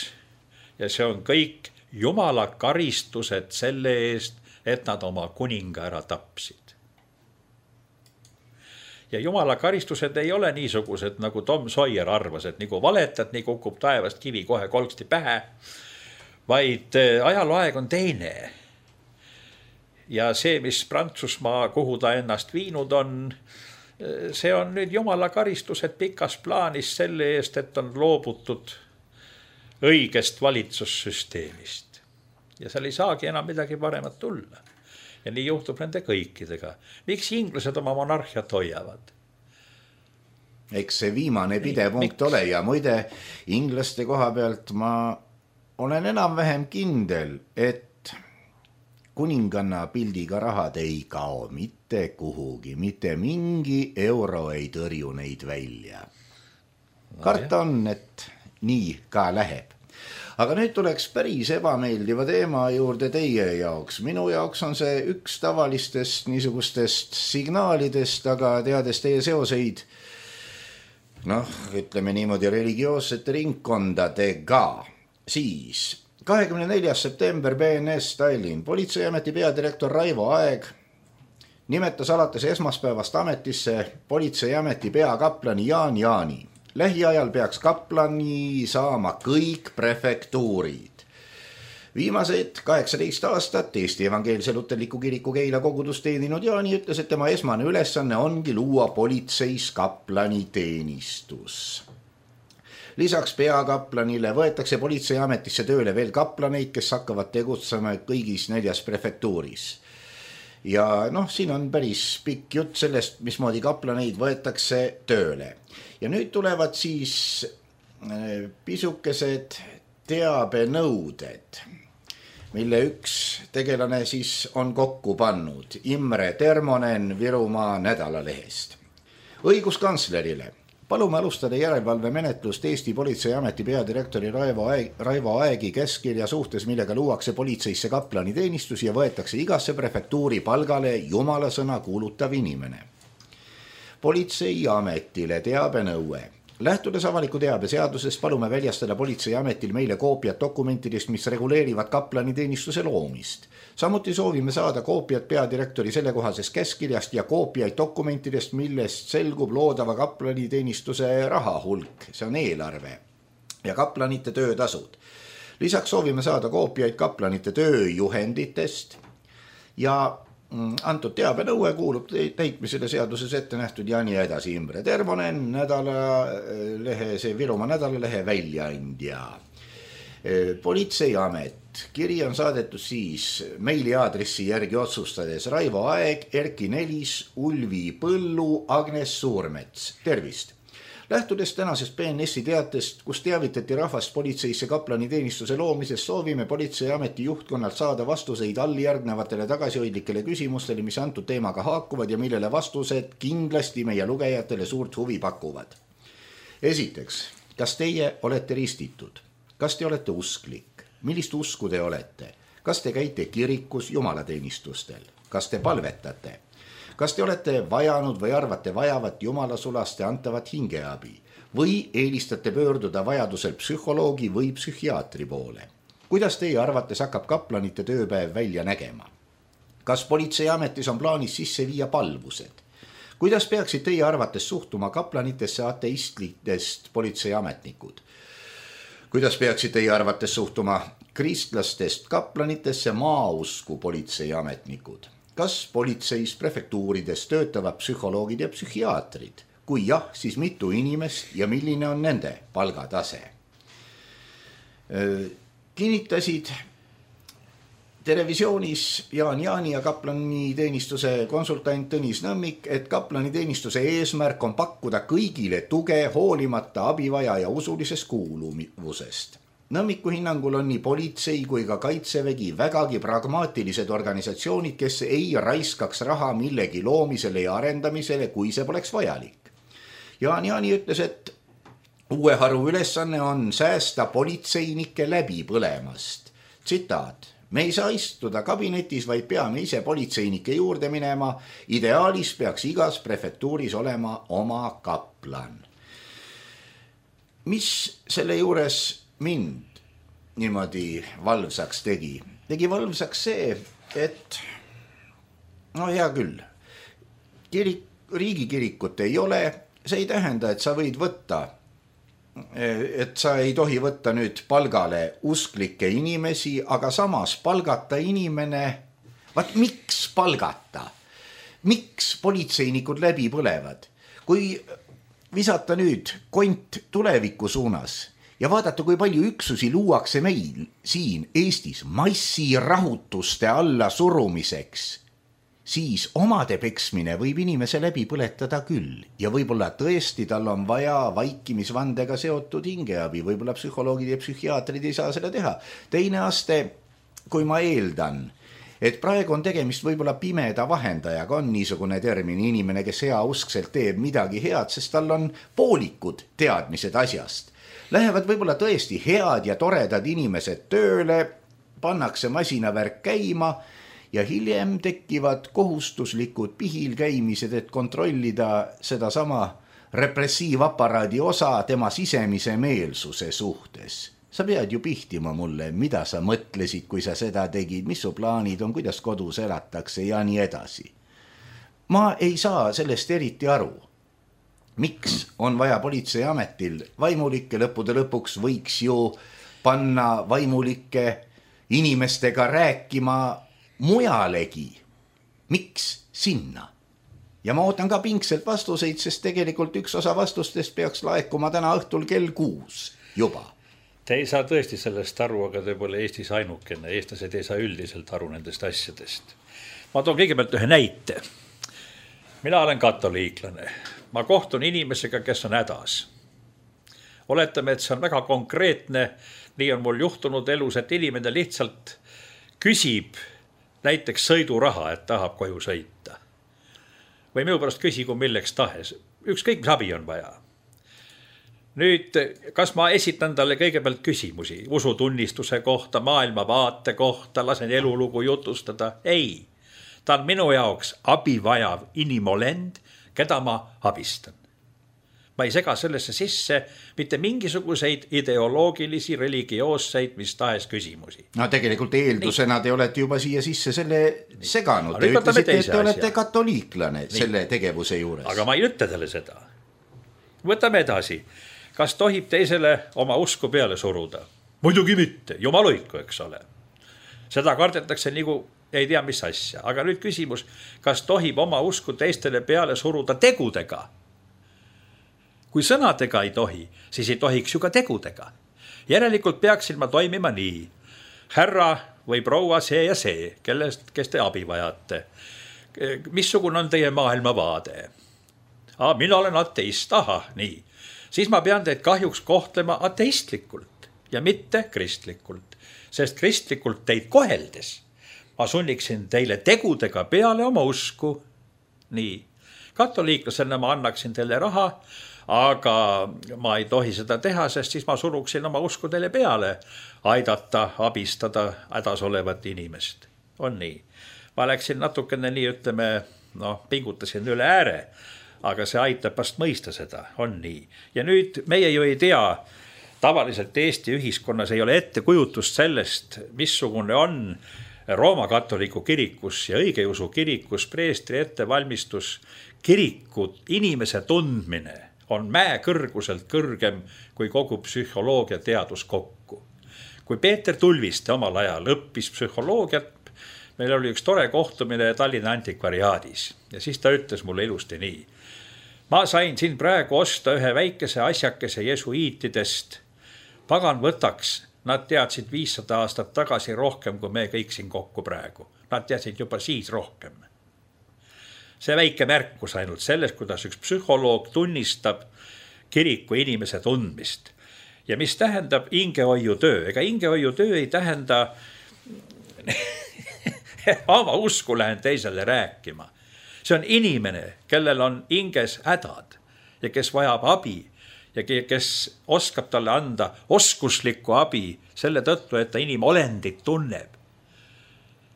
ja see on kõik Jumala karistused selle eest, et nad oma kuninga ära tapsid. Ja Jumala karistused ei ole niisugused, nagu Tom Sawyer arvas, et nagu valetad, nii kukub taevast kivi kohe kolksti pähe, vaid ajalooaeg on teine. Ja see, mis Prantsusmaa, kuhu ta ennast viinud on, see on nüüd Jumala karistused pikas plaanis selle eest, et on loobutud õigest valitsussüsteemist. Ja seal ei saagi enam midagi paremat tulla. Ja nii juhtub nende kõikidega. Miks inglased oma monarhiat hoiavad? Eks see viimane pidev punkt ole ja muide inglaste koha pealt ma olen enam-vähem kindel, et kuninganna pildiga rahad ei kao mitte kuhugi, mitte mingi euro ei tõrju neid välja. Karta on, et nii ka läheb. Aga nüüd tuleks päris ebameeldiva teema juurde teie jaoks. Minu jaoks on see üks tavalistest niisugustest signaalidest, aga teades teie seoseid, noh, ütleme niimoodi religioossete ringkondadega, siis kahekümne neljas september B N S Tallinn. Politseiameti peadirektor Raivo Aeg nimetas alates esmaspäevast ametisse politseiameti peakaplani Jaan Jaani. Lähiajal peaks kaplani saama kõik prefektuurid. Viimased kaheksateist aastat Eesti Evangeelse Luterliku Kiriku Keila kogudust teeninud Jaani ütles, et tema esmane ülesanne ongi luua politseis kaplani teenistus. Lisaks peakaplanile võetakse politseiametisse tööle veel kaplaneid, kes hakkavad tegutsema kõigis neljas prefektuuris. Ja noh, siin on päris pikk jutt sellest, mismoodi kaplaneid võetakse tööle. Ja nüüd tulevad siis pisukesed teabenõuded. mille üks tegelane siis on kokku pannud Imre Termonen Virumaa Nädalalehest. Õiguskantslerile. Palume alustada järelevalvemenetlust Eesti Politseiameti peadirektori Raivo, Aeg, Raivo Aegi käskkirja suhtes, millega luuakse politseisse kaplaniteenistus ja võetakse igasse prefektuuri palgale jumalasõna kuulutav inimene. Politseiametile teabenõue. Lähtudes avaliku teabe seadusest palume väljastada Politseiametil meile koopiat dokumentidest, mis reguleerivad kaplaniteenistuse loomist. Samuti soovime saada koopiat peadirektori sellekohasest käskkirjast ja koopiaid dokumentidest, millest selgub loodava kaplaniteenistuse raha hulk, see on eelarve ja kaplanite töötasud. Lisaks soovime saada koopiaid kaplanite tööjuhenditest ja antud teabenõue kuulub täitmisele seaduses ette nähtud ja nii edasi. Imre Termonen, nädalalehe, see Virumaa Nädalalehe väljaandja. Politseiamet. Kiri on saadetud siis meiliaadressi järgi otsustades Raivo Aeg, Erki Nelis, Ulvi Põllu, Agnes Suurmets. Tervist! Lähtudes tänasest P N S-i teatest, kus teavitati rahvast politseisse kaplaniteenistuse loomisest, soovime Politseiameti juhtkonnalt saada vastuseid alljärgnevatele tagasihoidlikele küsimustele, mis antud teemaga haakuvad ja millele vastused kindlasti meie lugejatele suurt huvi pakuvad. Esiteks, kas teie olete ristitud? Kas te olete usklik? Millist usku te olete? Kas te käite kirikus jumalateenistustel? Kas te palvetate? Kas te olete vajanud või arvate vajavat jumalasulaste antavat hingeabi või eelistate pöörduda vajadusel psühholoogi või psühhiaatri poole? Kuidas teie arvates hakkab kaplanite tööpäev välja nägema? Kas Politseiametis on plaanis sisse viia palvused? Kuidas peaksid teie arvates suhtuma kaplanitesse ateistlitest politseiametnikud? Kuidas peaksid teie arvates suhtuma kristlastest kaplanitesse maausku politseiametnikud? Kas politseis prefektuurides töötavad psühholoogid ja psühhiaatrid? Kui jah, siis mitu inimest ja milline on nende palgatase? Kinnitasid televisioonis Jaan Jaani ja kaplaniteenistuse konsultant Tõnis Nõmmik, et kaplaniteenistuse eesmärk on pakkuda kõigile tuge hoolimata abivaja ja usulisest kuuluvusest. Nõmmiku hinnangul on nii politsei kui ka kaitsevägi vägagi pragmaatilised organisatsioonid, kes ei raiskaks raha millegi loomisele ja arendamisele, kui see poleks vajalik. Jaan Jaani ütles, et uue haru ülesanne on säästa politseinike läbi põlemast. Tsitaat. Me ei saa istuda kabinetis, vaid peame ise politseinike juurde minema. Ideaalis peaks igas prefektuuris olema oma kaplan. Mis selle juures mind niimoodi valvsaks tegi? Tegi valvsaks see, et no hea küll, kirik, riigikirikut ei ole, see ei tähenda, et sa võid võtta, et sa ei tohi võtta nüüd palgale usklikke inimesi, aga samas palgata inimene, vaat miks palgata? Miks politseinikud läbi põlevad? Kui visata nüüd kont tuleviku suunas ja vaadata, kui palju üksusi luuakse meil siin Eestis massirahutuste alla surumiseks, siis omade peksmine võib inimese läbi põletada küll. Ja võib-olla tõesti tal on vaja vaikimisvandega seotud hingeabi, võib-olla psühholoogid ja psühhiaatrid ei saa seda teha. Teine aste, kui ma eeldan, et praegu on tegemist võib-olla pimeda vahendajaga, on niisugune termin, inimene, kes hea uskselt teeb midagi head, sest tal on poolikud teadmised asjast. Lähevad võib-olla tõesti head ja toredad inimesed tööle, pannakse masinavärk käima ja hiljem tekivad kohustuslikud pihil käimised, et kontrollida seda sama repressiivaparaadi osa tema sisemise meelsuse suhtes. Sa pead ju pihtima mulle, mida sa mõtlesid, kui sa seda tegid, mis su plaanid on, kuidas kodus elatakse ja nii edasi. Ma ei saa sellest eriti aru. Miks on vaja politseiametil vaimulikke? Lõppude lõpuks võiks ju panna vaimulikke inimestega rääkima mujalegi. Miks sinna? Ja ma ootan ka pingselt vastuseid, sest tegelikult üks osa vastustest peaks laekuma täna õhtul kell kuus juba. Te ei saa tõesti sellest aru, aga te pole Eestis ainukene. Eestlased ei saa üldiselt aru nendest asjadest. Ma toon kõigepealt ühe näite. Mina olen katoliiklane. Ma kohtun inimesega, kes on hädas. Oletame, et see on väga konkreetne. Nii on mul juhtunud elus, et inimene lihtsalt küsib näiteks sõiduraha, et tahab koju sõita. Või minu pärast küsigu milleks tahes. Ükskõik, mis abi on vaja. Nüüd, kas ma esitan talle kõigepealt küsimusi usutunnistuse kohta, maailmavaate kohta, lasen elulugu jutustada? Ei, ta on minu jaoks abivajav inimolend, keda ma abistan. Ma ei sega sellesse sisse mitte mingisuguseid ideoloogilisi, religioosseid, mis tahes küsimusi. No tegelikult eeldusena Nii. Te olete juba siia sisse selle Nii. seganud. Te ütlesite, et te olete katoliiklane Nii. selle tegevuse juures. Aga ma ei ütle talle seda. Võtame edasi. Kas tohib teisele oma usku peale suruda? Muidugi mitte, jumaluiku, eks ole. Seda kardetakse nagu ei tea mis asja. Aga nüüd küsimus, kas tohib oma usku teistele peale suruda tegudega? Kui sõnadega ei tohi, siis ei tohiks ju ka tegudega. Järelikult peaksin ma toimima nii. Härra või proua see ja see, kellest, kes te abi vajate. Missugune on teie maailmavaade? Ah, mina olen ateist, aha, nii. Siis ma pean teid kahjuks kohtlema ateistlikult ja mitte kristlikult, sest kristlikult teid koheldes ma sunniksin teile tegudega peale oma usku. Nii, katoliiklasena ma annaksin teile raha, aga ma ei tohi seda teha, sest siis ma suruksin oma usku teile peale, aidata, abistada hädas olevat inimest. On nii. Ma läksin natukene nii, ütleme, no, pingutasin üle ääre, aga see aitab vast mõista seda, on nii. Ja nüüd meie ju ei tea, tavaliselt Eesti ühiskonnas ei ole ettekujutust sellest, missugune on Rooma katoliku kirikus ja õigeusu kirikus preestri ettevalmistus. Kirikud inimese tundmine on mäe kõrguselt kõrgem kui kogu psühholoogia teadus kokku. Kui Peeter Tulviste omal ajal õppis psühholoogiat, meil oli üks tore kohtumine Tallinna antikvariaadis ja siis ta ütles mulle ilusti nii. Ma sain siin praegu osta ühe väikese asjakese jesuiitidest. Pagan võtaks, nad teadsid viissada aastat tagasi rohkem, kui me kõik siin kokku praegu. Nad teadsid juba siis rohkem. See väike märkus ainult selles, kuidas üks psühholoog tunnistab kiriku inimese tundmist. Ja mis tähendab hingehoiutöö? Ega hingehoiutöö ei tähenda oma usku lähen teisele rääkima. See on inimene, kellel on hinges hädad ja kes vajab abi ja kes oskab talle anda oskuslikku abi selle tõttu, et ta inimolendit tunneb.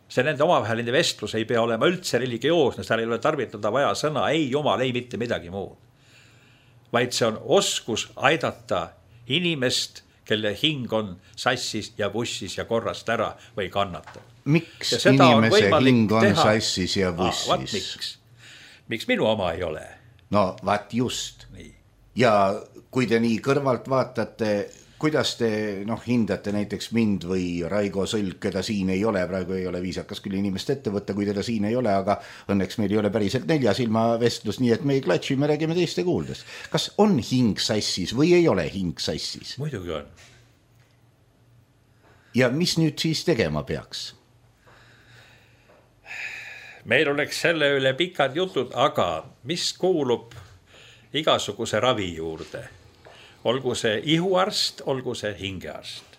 See nende omavaheline vestlus ei pea olema üldse religioosne, seal ei ole tarvitada vaja sõna ei jumal, ei mitte midagi muud. Vaid see on oskus aidata inimest, kelle hing on sassis ja bussis ja korrast ära või kannatab. Miks inimese hing on teha sassis ja bussis? Ah, miks? miks minu oma ei ole? No vaat just. Nii. Ja kui te nii kõrvalt vaatate, kuidas te noh, hindate näiteks mind või Raigo Sõlg, keda siin ei ole, praegu ei ole viisakas küll inimest ette võtta, kui teda siin ei ole, aga õnneks meil ei ole päriselt nelja silma vestlus, nii et me ei klatši, me räägime teiste kuuldes. Kas on hing sassis või ei ole hing sassis? Muidugi on. Ja mis nüüd siis tegema peaks? Meil oleks selle üle pikad jutud, aga mis kuulub igasuguse ravi juurde? Olgu see ihuarst, olgu see hingearst.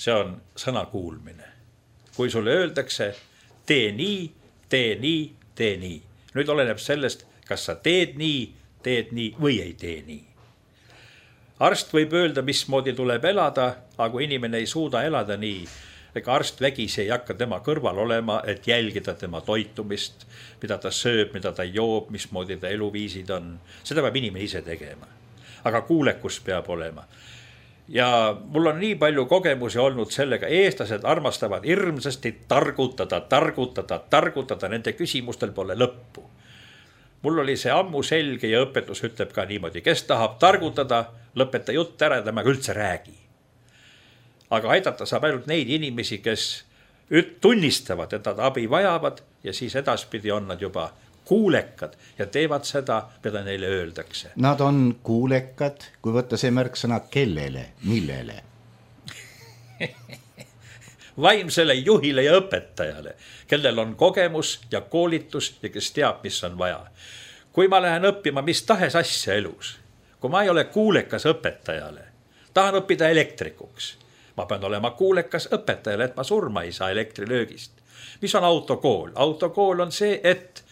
See on sõna kuulmine. Kui sulle öeldakse, tee nii, tee nii, tee nii. Nüüd oleneb sellest, kas sa teed nii, teed nii või ei tee nii. Arst võib öelda, mismoodi tuleb elada, aga kui inimene ei suuda elada nii, ega arst vägis ei hakka tema kõrval olema, et jälgida tema toitumist, mida ta sööb, mida ta joob, mismoodi ta eluviisid on. Seda peab inimene ise tegema. Aga kuulekus peab olema. Ja mul on nii palju kogemusi olnud sellega, eestlased armastavad hirmsasti targutada, targutada, targutada, nende küsimustel pole lõppu. Mul oli see ammu selge ja õpetus ütleb ka niimoodi, kes tahab targutada, lõpeta jutt ära, temaga üldse räägi. Aga aidata saab ainult neid inimesi, kes tunnistavad, et nad abi vajavad ja siis edaspidi on nad juba kuulekad ja teevad seda, mida neile öeldakse. Nad on kuulekad, kui võtta see märksõna kellele, millele? Vaimsele juhile ja õpetajale, kellel on kogemus ja koolitus ja kes teab, mis on vaja. Kui ma lähen õppima mis tahes asja elus, kui ma ei ole kuulekas õpetajale, tahan õppida elektrikuks, ma pean olema kuulekas õpetajale, et ma surma ei saa elektrilöögist. Mis on autokool? Autokool on see, et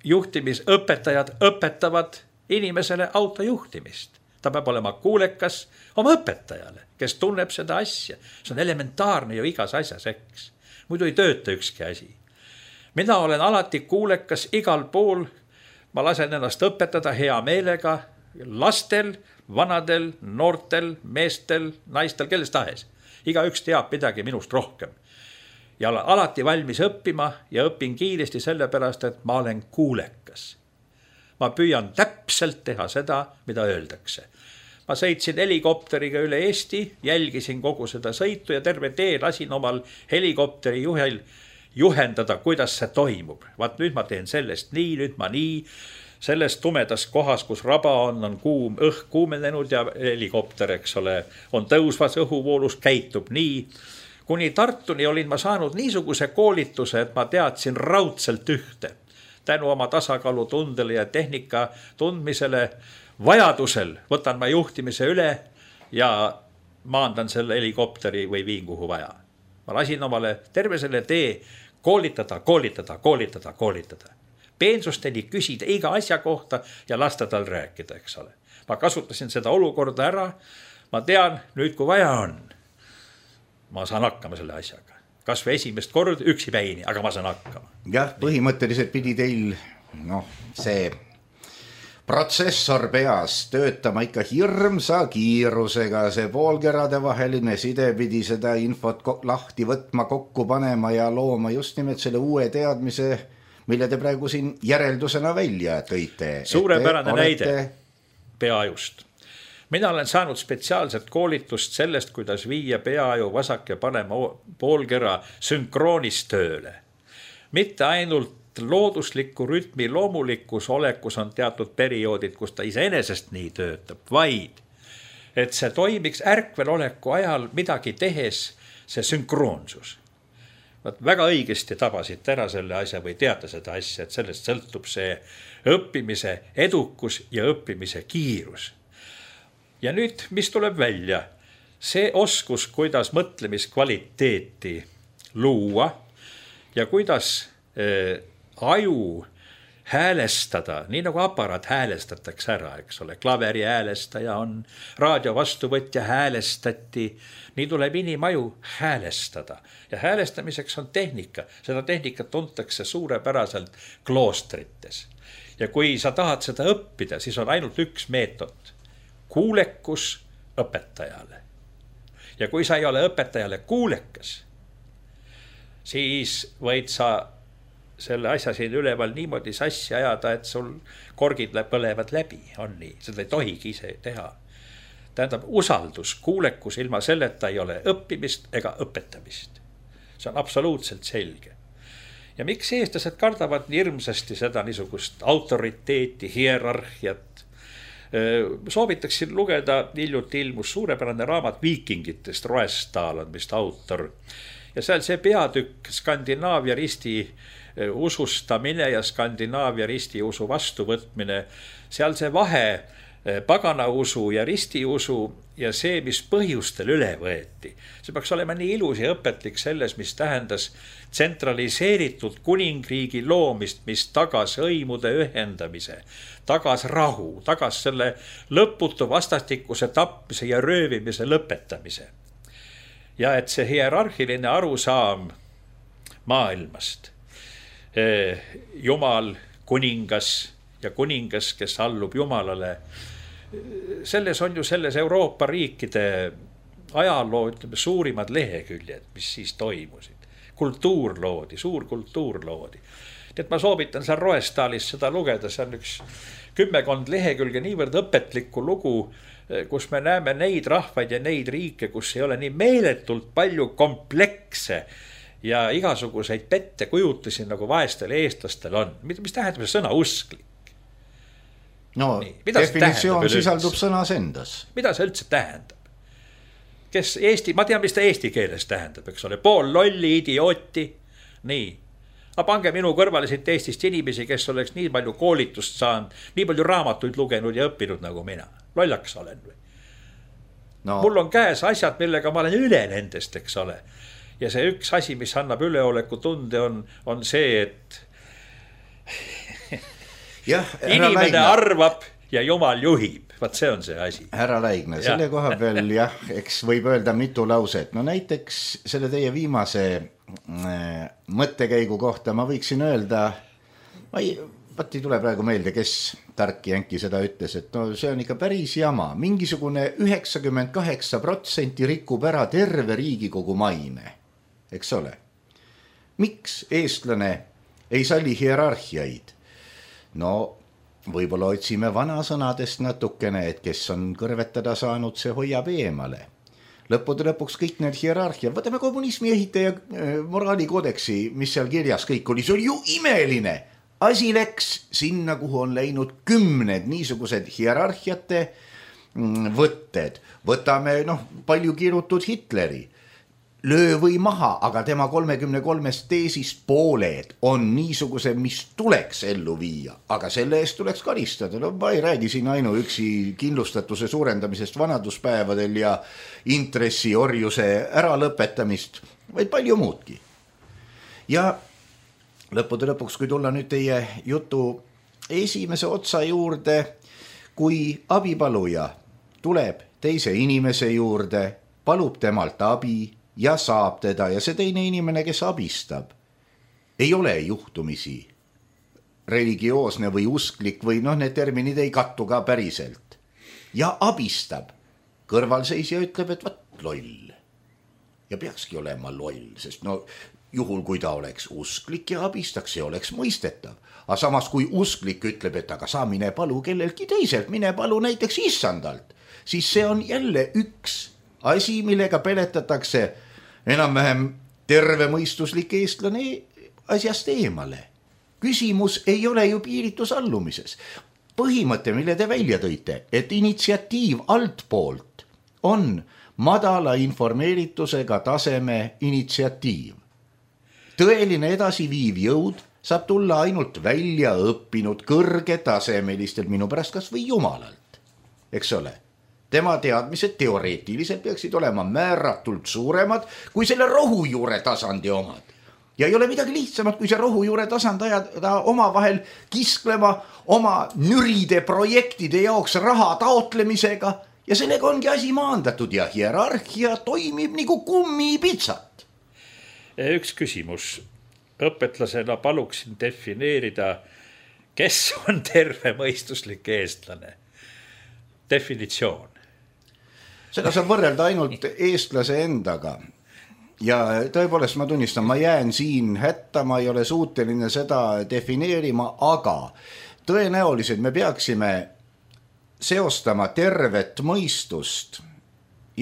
juhtimisõpetajad õpetavad inimesele autojuhtimist. Ta peab olema kuulekas oma õpetajale, kes tunneb seda asja. See on elementaarne ju igas asjas, eks. Muidu ei tööta ükski asi. Mina olen alati kuulekas igal pool. Ma lasen ennast õpetada hea meelega lastel, vanadel, noortel, meestel, naistel, kellest tahes. Iga üks teab midagi minust rohkem. Ja olen alati valmis õppima ja õpin kiiresti sellepärast, et ma olen kuulekas. Ma püüan täpselt teha seda, mida öeldakse. Ma sõitsin helikopteriga üle Eesti, jälgisin kogu seda sõitu ja terve tee lasin omal helikopteri juhel juhendada, kuidas see toimub. Vaat nüüd ma teen sellest nii, nüüd ma nii. Selles tumedas kohas, kus raba on, on kuum, õhk kuumenenud ja helikopter, eks ole, on tõusvas õhuvoolus, käitub nii. Kuni Tartuni olin ma saanud niisuguse koolituse, et ma teadsin raudselt ühte. Tänu oma tasakaalu tundele ja tehnika tundmisele vajadusel võtan ma juhtimise üle ja maandan selle helikopteri või viin kuhu vaja. Ma lasin omale terve selle tee koolitada, koolitada, koolitada, koolitada. Peensusteni küsida iga asja kohta ja lasta tal rääkida, eks ole. Ma kasutasin seda olukorda ära. Ma tean, nüüd kui vaja on, ma saan hakkama selle asjaga. Kas või esimest kord üksi päini, aga ma saan hakkama. Jah, põhimõtteliselt pidi teil noh, see protsessor peas töötama ikka hirmsa kiirusega. See poolkerade vaheline side pidi seda infot lahti võtma, kokku panema ja looma just nimelt selle uue teadmise, mille te praegu siin järeldusena välja tõite. Suurepärane olete... näide peaajust. Mina olen saanud spetsiaalset koolitust sellest, kuidas viia peaaju vasak ja panema poolkera sünkroonis tööle. Mitte ainult loodusliku rütmi loomulikus olekus on teatud perioodid, kus ta iseenesest nii töötab, vaid et see toimiks ärkvel oleku ajal midagi tehes, see sünkroonsus. Vaat väga õigesti tabasid ära selle asja või teate seda asja, et sellest sõltub see õppimise edukus ja õppimise kiirus. Ja nüüd, mis tuleb välja? See oskus, kuidas mõtlemiskvaliteeti luua ja kuidas äh, aju häälestada, nii nagu aparaat häälestatakse ära, eks ole. Klaveri häälestaja on, raadio vastuvõtja häälestati, nii tuleb inimaju häälestada. Ja häälestamiseks on tehnika. Seda tehnikat tuntakse suurepäraselt kloostrites. Ja kui sa tahad seda õppida, siis on ainult üks meetod. Kuulekus õpetajale. Ja kui sa ei ole õpetajale kuulekas, siis võid sa selle asja siin üleval niimoodi sassi ajada, et sul korgid põlevad läbi, on nii. Seda ei tohigi ise teha. Tähendab, usaldus, kuulekus ilma selleta ei ole õppimist ega õpetamist. See on absoluutselt selge. Ja miks eestlased kardavad hirmsasti seda niisugust autoriteeti, hierarhiat? Soovitaksin lugeda, hiljuti ilmus suurepärane raamat Viikingitest, Roestal on vist autor. Ja seal see peatükk Skandinaavia risti usustamine ja Skandinaavia risti usu vastuvõtmine, seal see vahe pagana usu ja risti usu ja see, mis põhjustel üle võeti. See peaks olema nii ilus ja õpetlik selles, mis tähendas tsentraliseeritud kuningriigi loomist, mis tagas hõimude ühendamise, tagas rahu, tagas selle lõputu vastastikuse tapmise ja röövimise lõpetamise. Ja et see hierarhiline arusaam maailmast, Jumal, kuningas ja kuningas, kes allub Jumalale. Selles on ju selles Euroopa riikide ajaloo, ütleme, suurimad leheküljed, mis siis toimusid. Kultuur loodi, suur kultuur loodi. Nii et ma soovitan seal Roestalis seda lugeda, see on üks kümmekond lehekülge niivõrd õpetlikku lugu, kus me näeme neid rahvaid ja neid riike, kus ei ole nii meeletult palju komplekse ja igasuguseid pette kujutusi, nagu vaestel eestlastel on. Mis tähendab see sõna usklik? No, definitsioon sisaldub sõnas endas. Mida see üldse tähendab? Kes Eesti, ma tean, mis ta eesti keeles tähendab, eks ole, pool lolli, idiooti, nii. Aga pange minu kõrvale siit Eestist inimesi, kes oleks nii palju koolitust saanud, nii palju raamatuid lugenud ja õppinud nagu mina. Lollaks olen või? no. Mul on käes asjad, millega ma olen üle nendest, eks ole. Ja see üks asi, mis annab üleoleku tunde, on, on see, et jah, inimene Laigna arvab ja Jumal juhib. Vaat see on see asi. Härra Laigna, selle ja. koha peal jah, eks võib öelda mitu lauset. No näiteks selle teie viimase äh, mõttekäigu kohta ma võiksin öelda, ma ei, vaat ei tule praegu meelde, kes tark jänki seda ütles, et no see on ikka päris jama. Mingisugune üheksakümmend kaheksa protsenti rikub ära terve Riigikogu maine, eks ole. Miks eestlane ei salli hierarhiaid? No võib-olla otsime vanasõnadest natukene, et kes on kõrvetada saanud, see hoiab eemale. Lõppude lõpuks kõik need hierarhia, võtame kommunismi ehitaja moraalikoodeksi, mis seal kirjas kõik oli, see oli ju imeline. Asi läks sinna, kuhu on läinud kümned niisugused hierarhiate võtted. Võtame noh, palju kirutud Hitleri. Löö või maha, aga tema kolmekümne kolmest teesist pooled on niisuguse, mis tuleks ellu viia, aga selle eest tuleks karistada. No ma ei räägi siin ainuüksi kindlustatuse suurendamisest vanaduspäevadel ja intressiorjuse äralõpetamist, vaid palju muudki. Ja lõppude lõpuks, kui tulla nüüd teie jutu esimese otsa juurde, kui abipaluja tuleb teise inimese juurde, palub temalt abi ja saab teda ja see teine inimene, kes abistab, ei ole juhtumisi religioosne või usklik või noh, need terminid ei kattu ka päriselt. Ja abistab. Kõrvalseisja ütleb, et vaat loll. Ja peakski olema loll, sest no juhul, kui ta oleks usklik ja abistaks, see oleks mõistetav. Aga samas, kui usklik ütleb, et aga sa mine palu kellelgi teiselt, mine palu näiteks issandalt, siis see on jälle üks asi, millega peletatakse enam-vähem tervemõistuslik eestlane asjast eemale. Küsimus ei ole ju piiritus allumises. Põhimõte, mille te välja tõite, et initsiatiiv altpoolt on madala informeeritusega taseme initsiatiiv. Tõeline edasiviiv jõud saab tulla ainult välja õppinud kõrgetasemelistelt, minu pärast kas või jumalalt, eks ole. Tema teadmised teoreetiliselt peaksid olema määratult suuremad kui selle rohujuure tasandi omad. Ja ei ole midagi lihtsamat, kui see rohujuure tasand ajada oma vahel kisklema oma nüride projektide jaoks raha taotlemisega ja sellega ongi asi maandatud ja hierarhia toimib nagu kummipitsat. Üks küsimus. Õpetlasena paluksin defineerida, kes on tervemõistuslik eestlane. Definitsioon. Seda saab võrrelda ainult eestlase endaga. Ja tõepoolest ma tunnistan, ma jään siin hätta, ma ei ole suuteline seda defineerima, aga tõenäoliselt me peaksime seostama tervet mõistust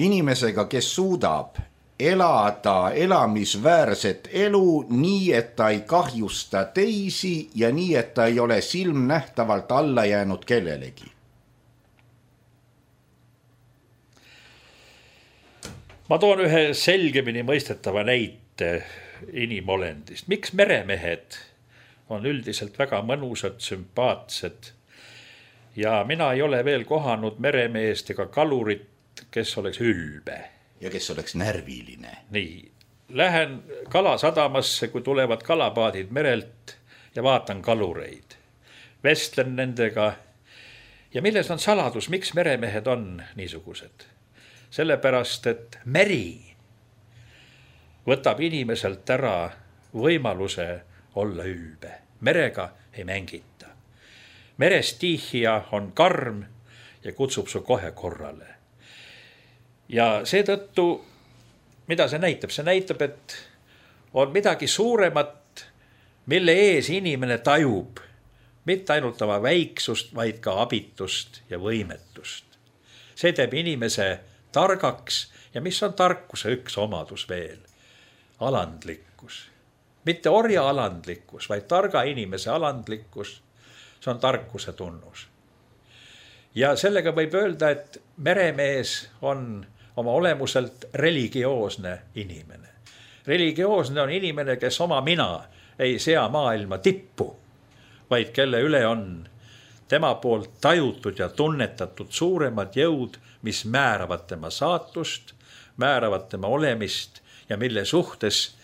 inimesega, kes suudab elada elamisväärset elu nii, et ta ei kahjusta teisi ja nii, et ta ei ole silmnähtavalt alla jäänud kellelegi. Ma toon ühe selgemini mõistetava näite inimolendist. Miks meremehed on üldiselt väga mõnusad, sümpaatsed ja mina ei ole veel kohanud meremeest ega kalurit, kes oleks ülbe. Ja kes oleks närviline. Nii, lähen kalasadamasse, kui tulevad kalapaadid merelt ja vaatan kalureid. Vestlen nendega ja milles on saladus, miks meremehed on niisugused? Sellepärast, et meri võtab inimeselt ära võimaluse olla ülbe. Merega ei mängita. Merestiihia on karm ja kutsub su kohe korrale. Ja seetõttu, mida see näitab? See näitab, et on midagi suuremat, mille ees inimene tajub mitte ainult oma väiksust, vaid ka abitust ja võimetust. See teeb inimese targaks ja mis on tarkuse üks omadus veel? Alandlikkus. Mitte orja alandlikkus, vaid targa inimese alandlikkus. See on tarkuse tunnus. Ja sellega võib öelda, et meremees on oma olemuselt religioosne inimene. Religioosne on inimene, kes oma mina ei sea maailma tippu, vaid kelle üle on tema poolt tajutud ja tunnetatud suuremad jõud mis määravad tema saatust, määravad tema olemist ja mille suhtes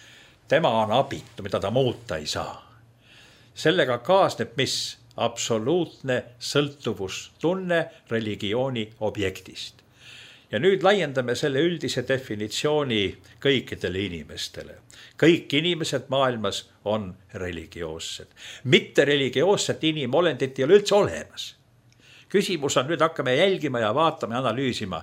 tema on abitu, mida ta muuta ei saa. Sellega kaasneb mis? Absoluutne sõltuvustunne religiooni objektist. Ja nüüd laiendame selle üldise definitsiooni kõikidele inimestele. Kõik inimesed maailmas on religioossed. Mitte religioosset inimolendit ei ole üldse olemas. Küsimus on, nüüd hakkame jälgima ja vaatama ja analüüsima,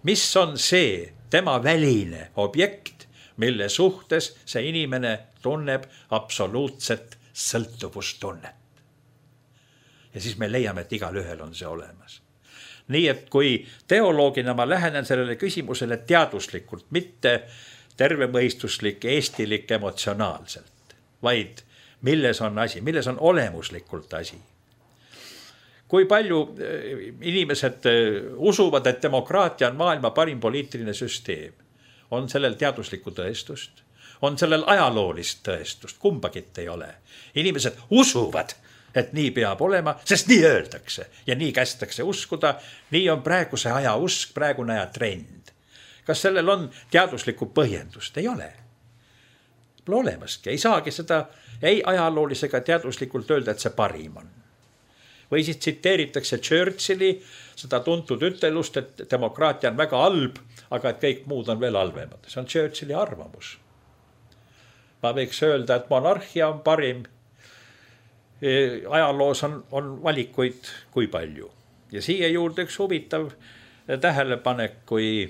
mis on see tema väline objekt, mille suhtes see inimene tunneb absoluutset sõltuvustunnet. Ja siis me leiame, et igal ühel on see olemas. Nii et kui teoloogina ma lähenen sellele küsimusele teaduslikult, mitte tervemõistuslik, eestilik, emotsionaalselt, vaid milles on asi, milles on olemuslikult asi. Kui palju inimesed usuvad, et demokraatia on maailma parim poliitiline süsteem, on sellel teaduslikku tõestust, on sellel ajaloolist tõestust, kumbagit ei ole. Inimesed usuvad, et nii peab olema, sest nii öeldakse ja nii kästakse uskuda. Nii on praeguse aja usk, praegune aja trend. Kas sellel on teaduslikku põhjendust? Ei ole. Pole olemaski. Ei saagi seda ei ajaloolisega teaduslikult öelda, et see parim on. Või siis tsiteeritakse Churchilli seda tuntud ütelust, et demokraatia on väga halb, aga et kõik muud on veel halvemad. See on Churchilli arvamus. Ma võiks öelda, et monarhia on parim. Ajaloos on, on valikuid kui palju. Ja siia juurde üks huvitav tähelepanek, kui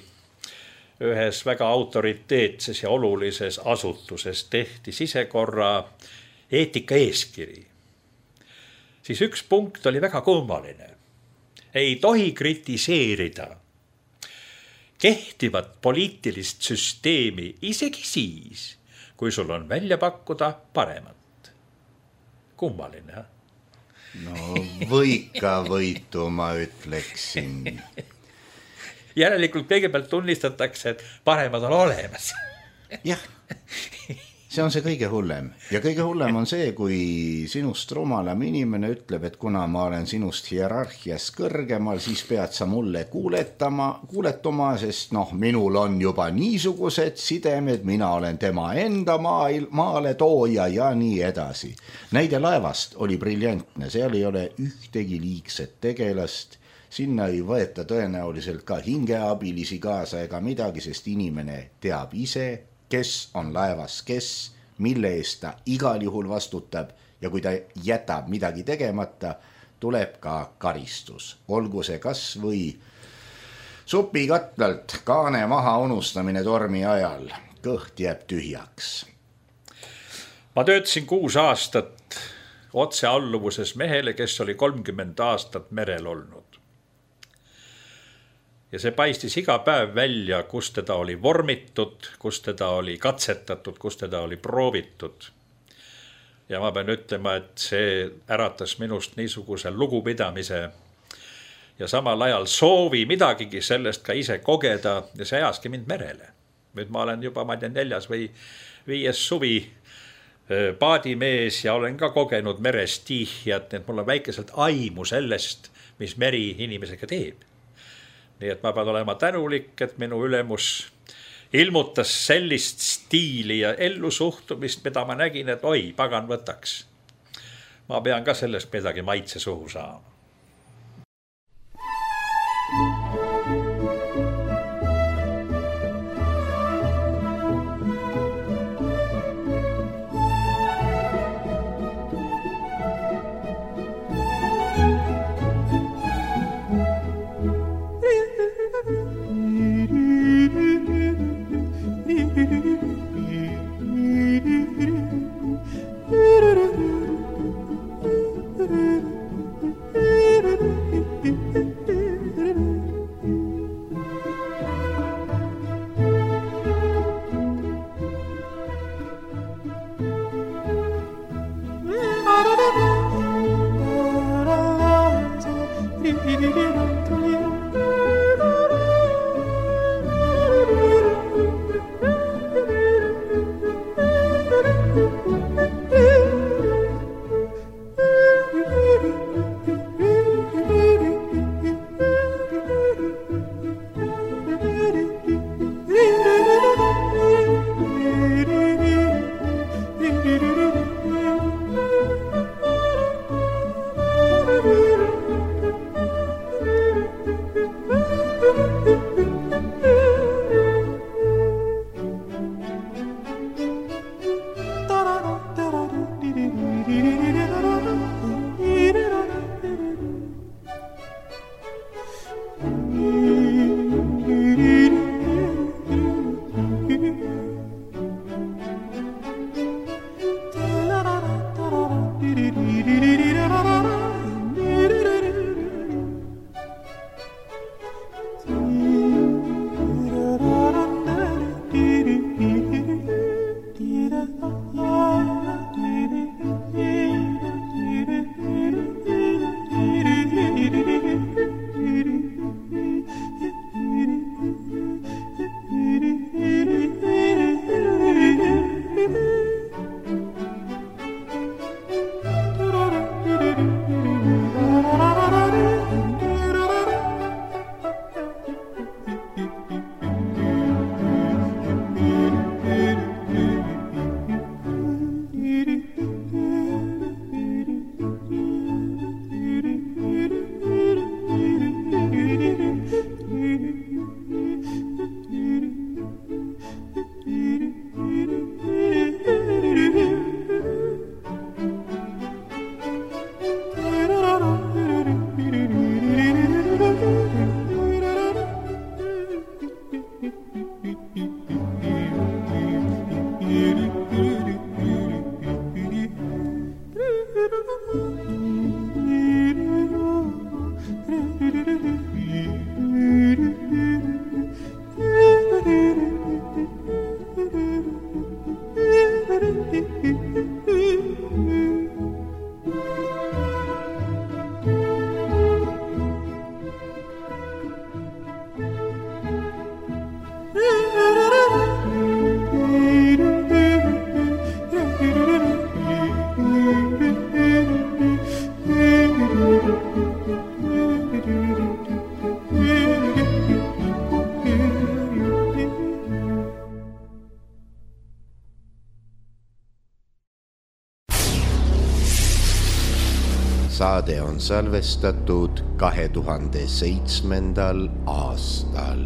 ühes väga autoriteetses ja olulises asutuses tehti sisekorra eetika eeskiri. Siis üks punkt oli väga kummaline. Ei tohi kritiseerida kehtivat poliitilist süsteemi isegi siis, kui sul on välja pakkuda paremat. Kummaline, no võika võitu, ma ütleksin. Järelikult kõigepealt tunnistatakse, et paremad on olemas. Jah, see on see kõige hullem. Ja kõige hullem on see, kui sinust rumalam inimene ütleb, et kuna ma olen sinust hierarhias kõrgemal, siis pead sa mulle kuuletama, kuuletuma, sest noh, minul on juba niisugused sidemed, mina olen tema enda maail, maale tooja ja nii edasi. Näide laevast oli briljantne, seal ei ole ühtegi liigset tegelast, sinna ei võeta tõenäoliselt ka hingeabilisi kaasa ega midagi, sest inimene teab ise, kes on laevas, kes, mille eest ta igal juhul vastutab ja kui ta jätab midagi tegemata, tuleb ka karistus. Olgu see kas või supikatlalt kaane maha unustamine tormi ajal, kõht jääb tühjaks. Ma töötasin kuus aastat otse alluvuses mehele, kes oli kolmkümmend aastat merel olnud. Ja see paistis iga päev välja, kus teda oli vormitud, kus teda oli katsetatud, kus teda oli proovitud. Ja ma pean ütlema, et see äratas minust niisuguse lugupidamise ja samal ajal soovi midagigi sellest ka ise kogeda ja see ajaski mind merele. Nüüd ma olen juba, ma tean, neljas või viies suvi paadimees ja olen ka kogenud meres tihjat, et mul on väikeselt aimu sellest, mis meri inimesega teeb. Nii et ma pean olema tänulik, et minu ülemus ilmutas sellist stiili ja ellu suhtumist, mida ma nägin, et oi, pagan võtaks. Ma pean ka sellest midagi maitse suhu saama. saade on salvestatud kahe tuhande seitsmendal aastal.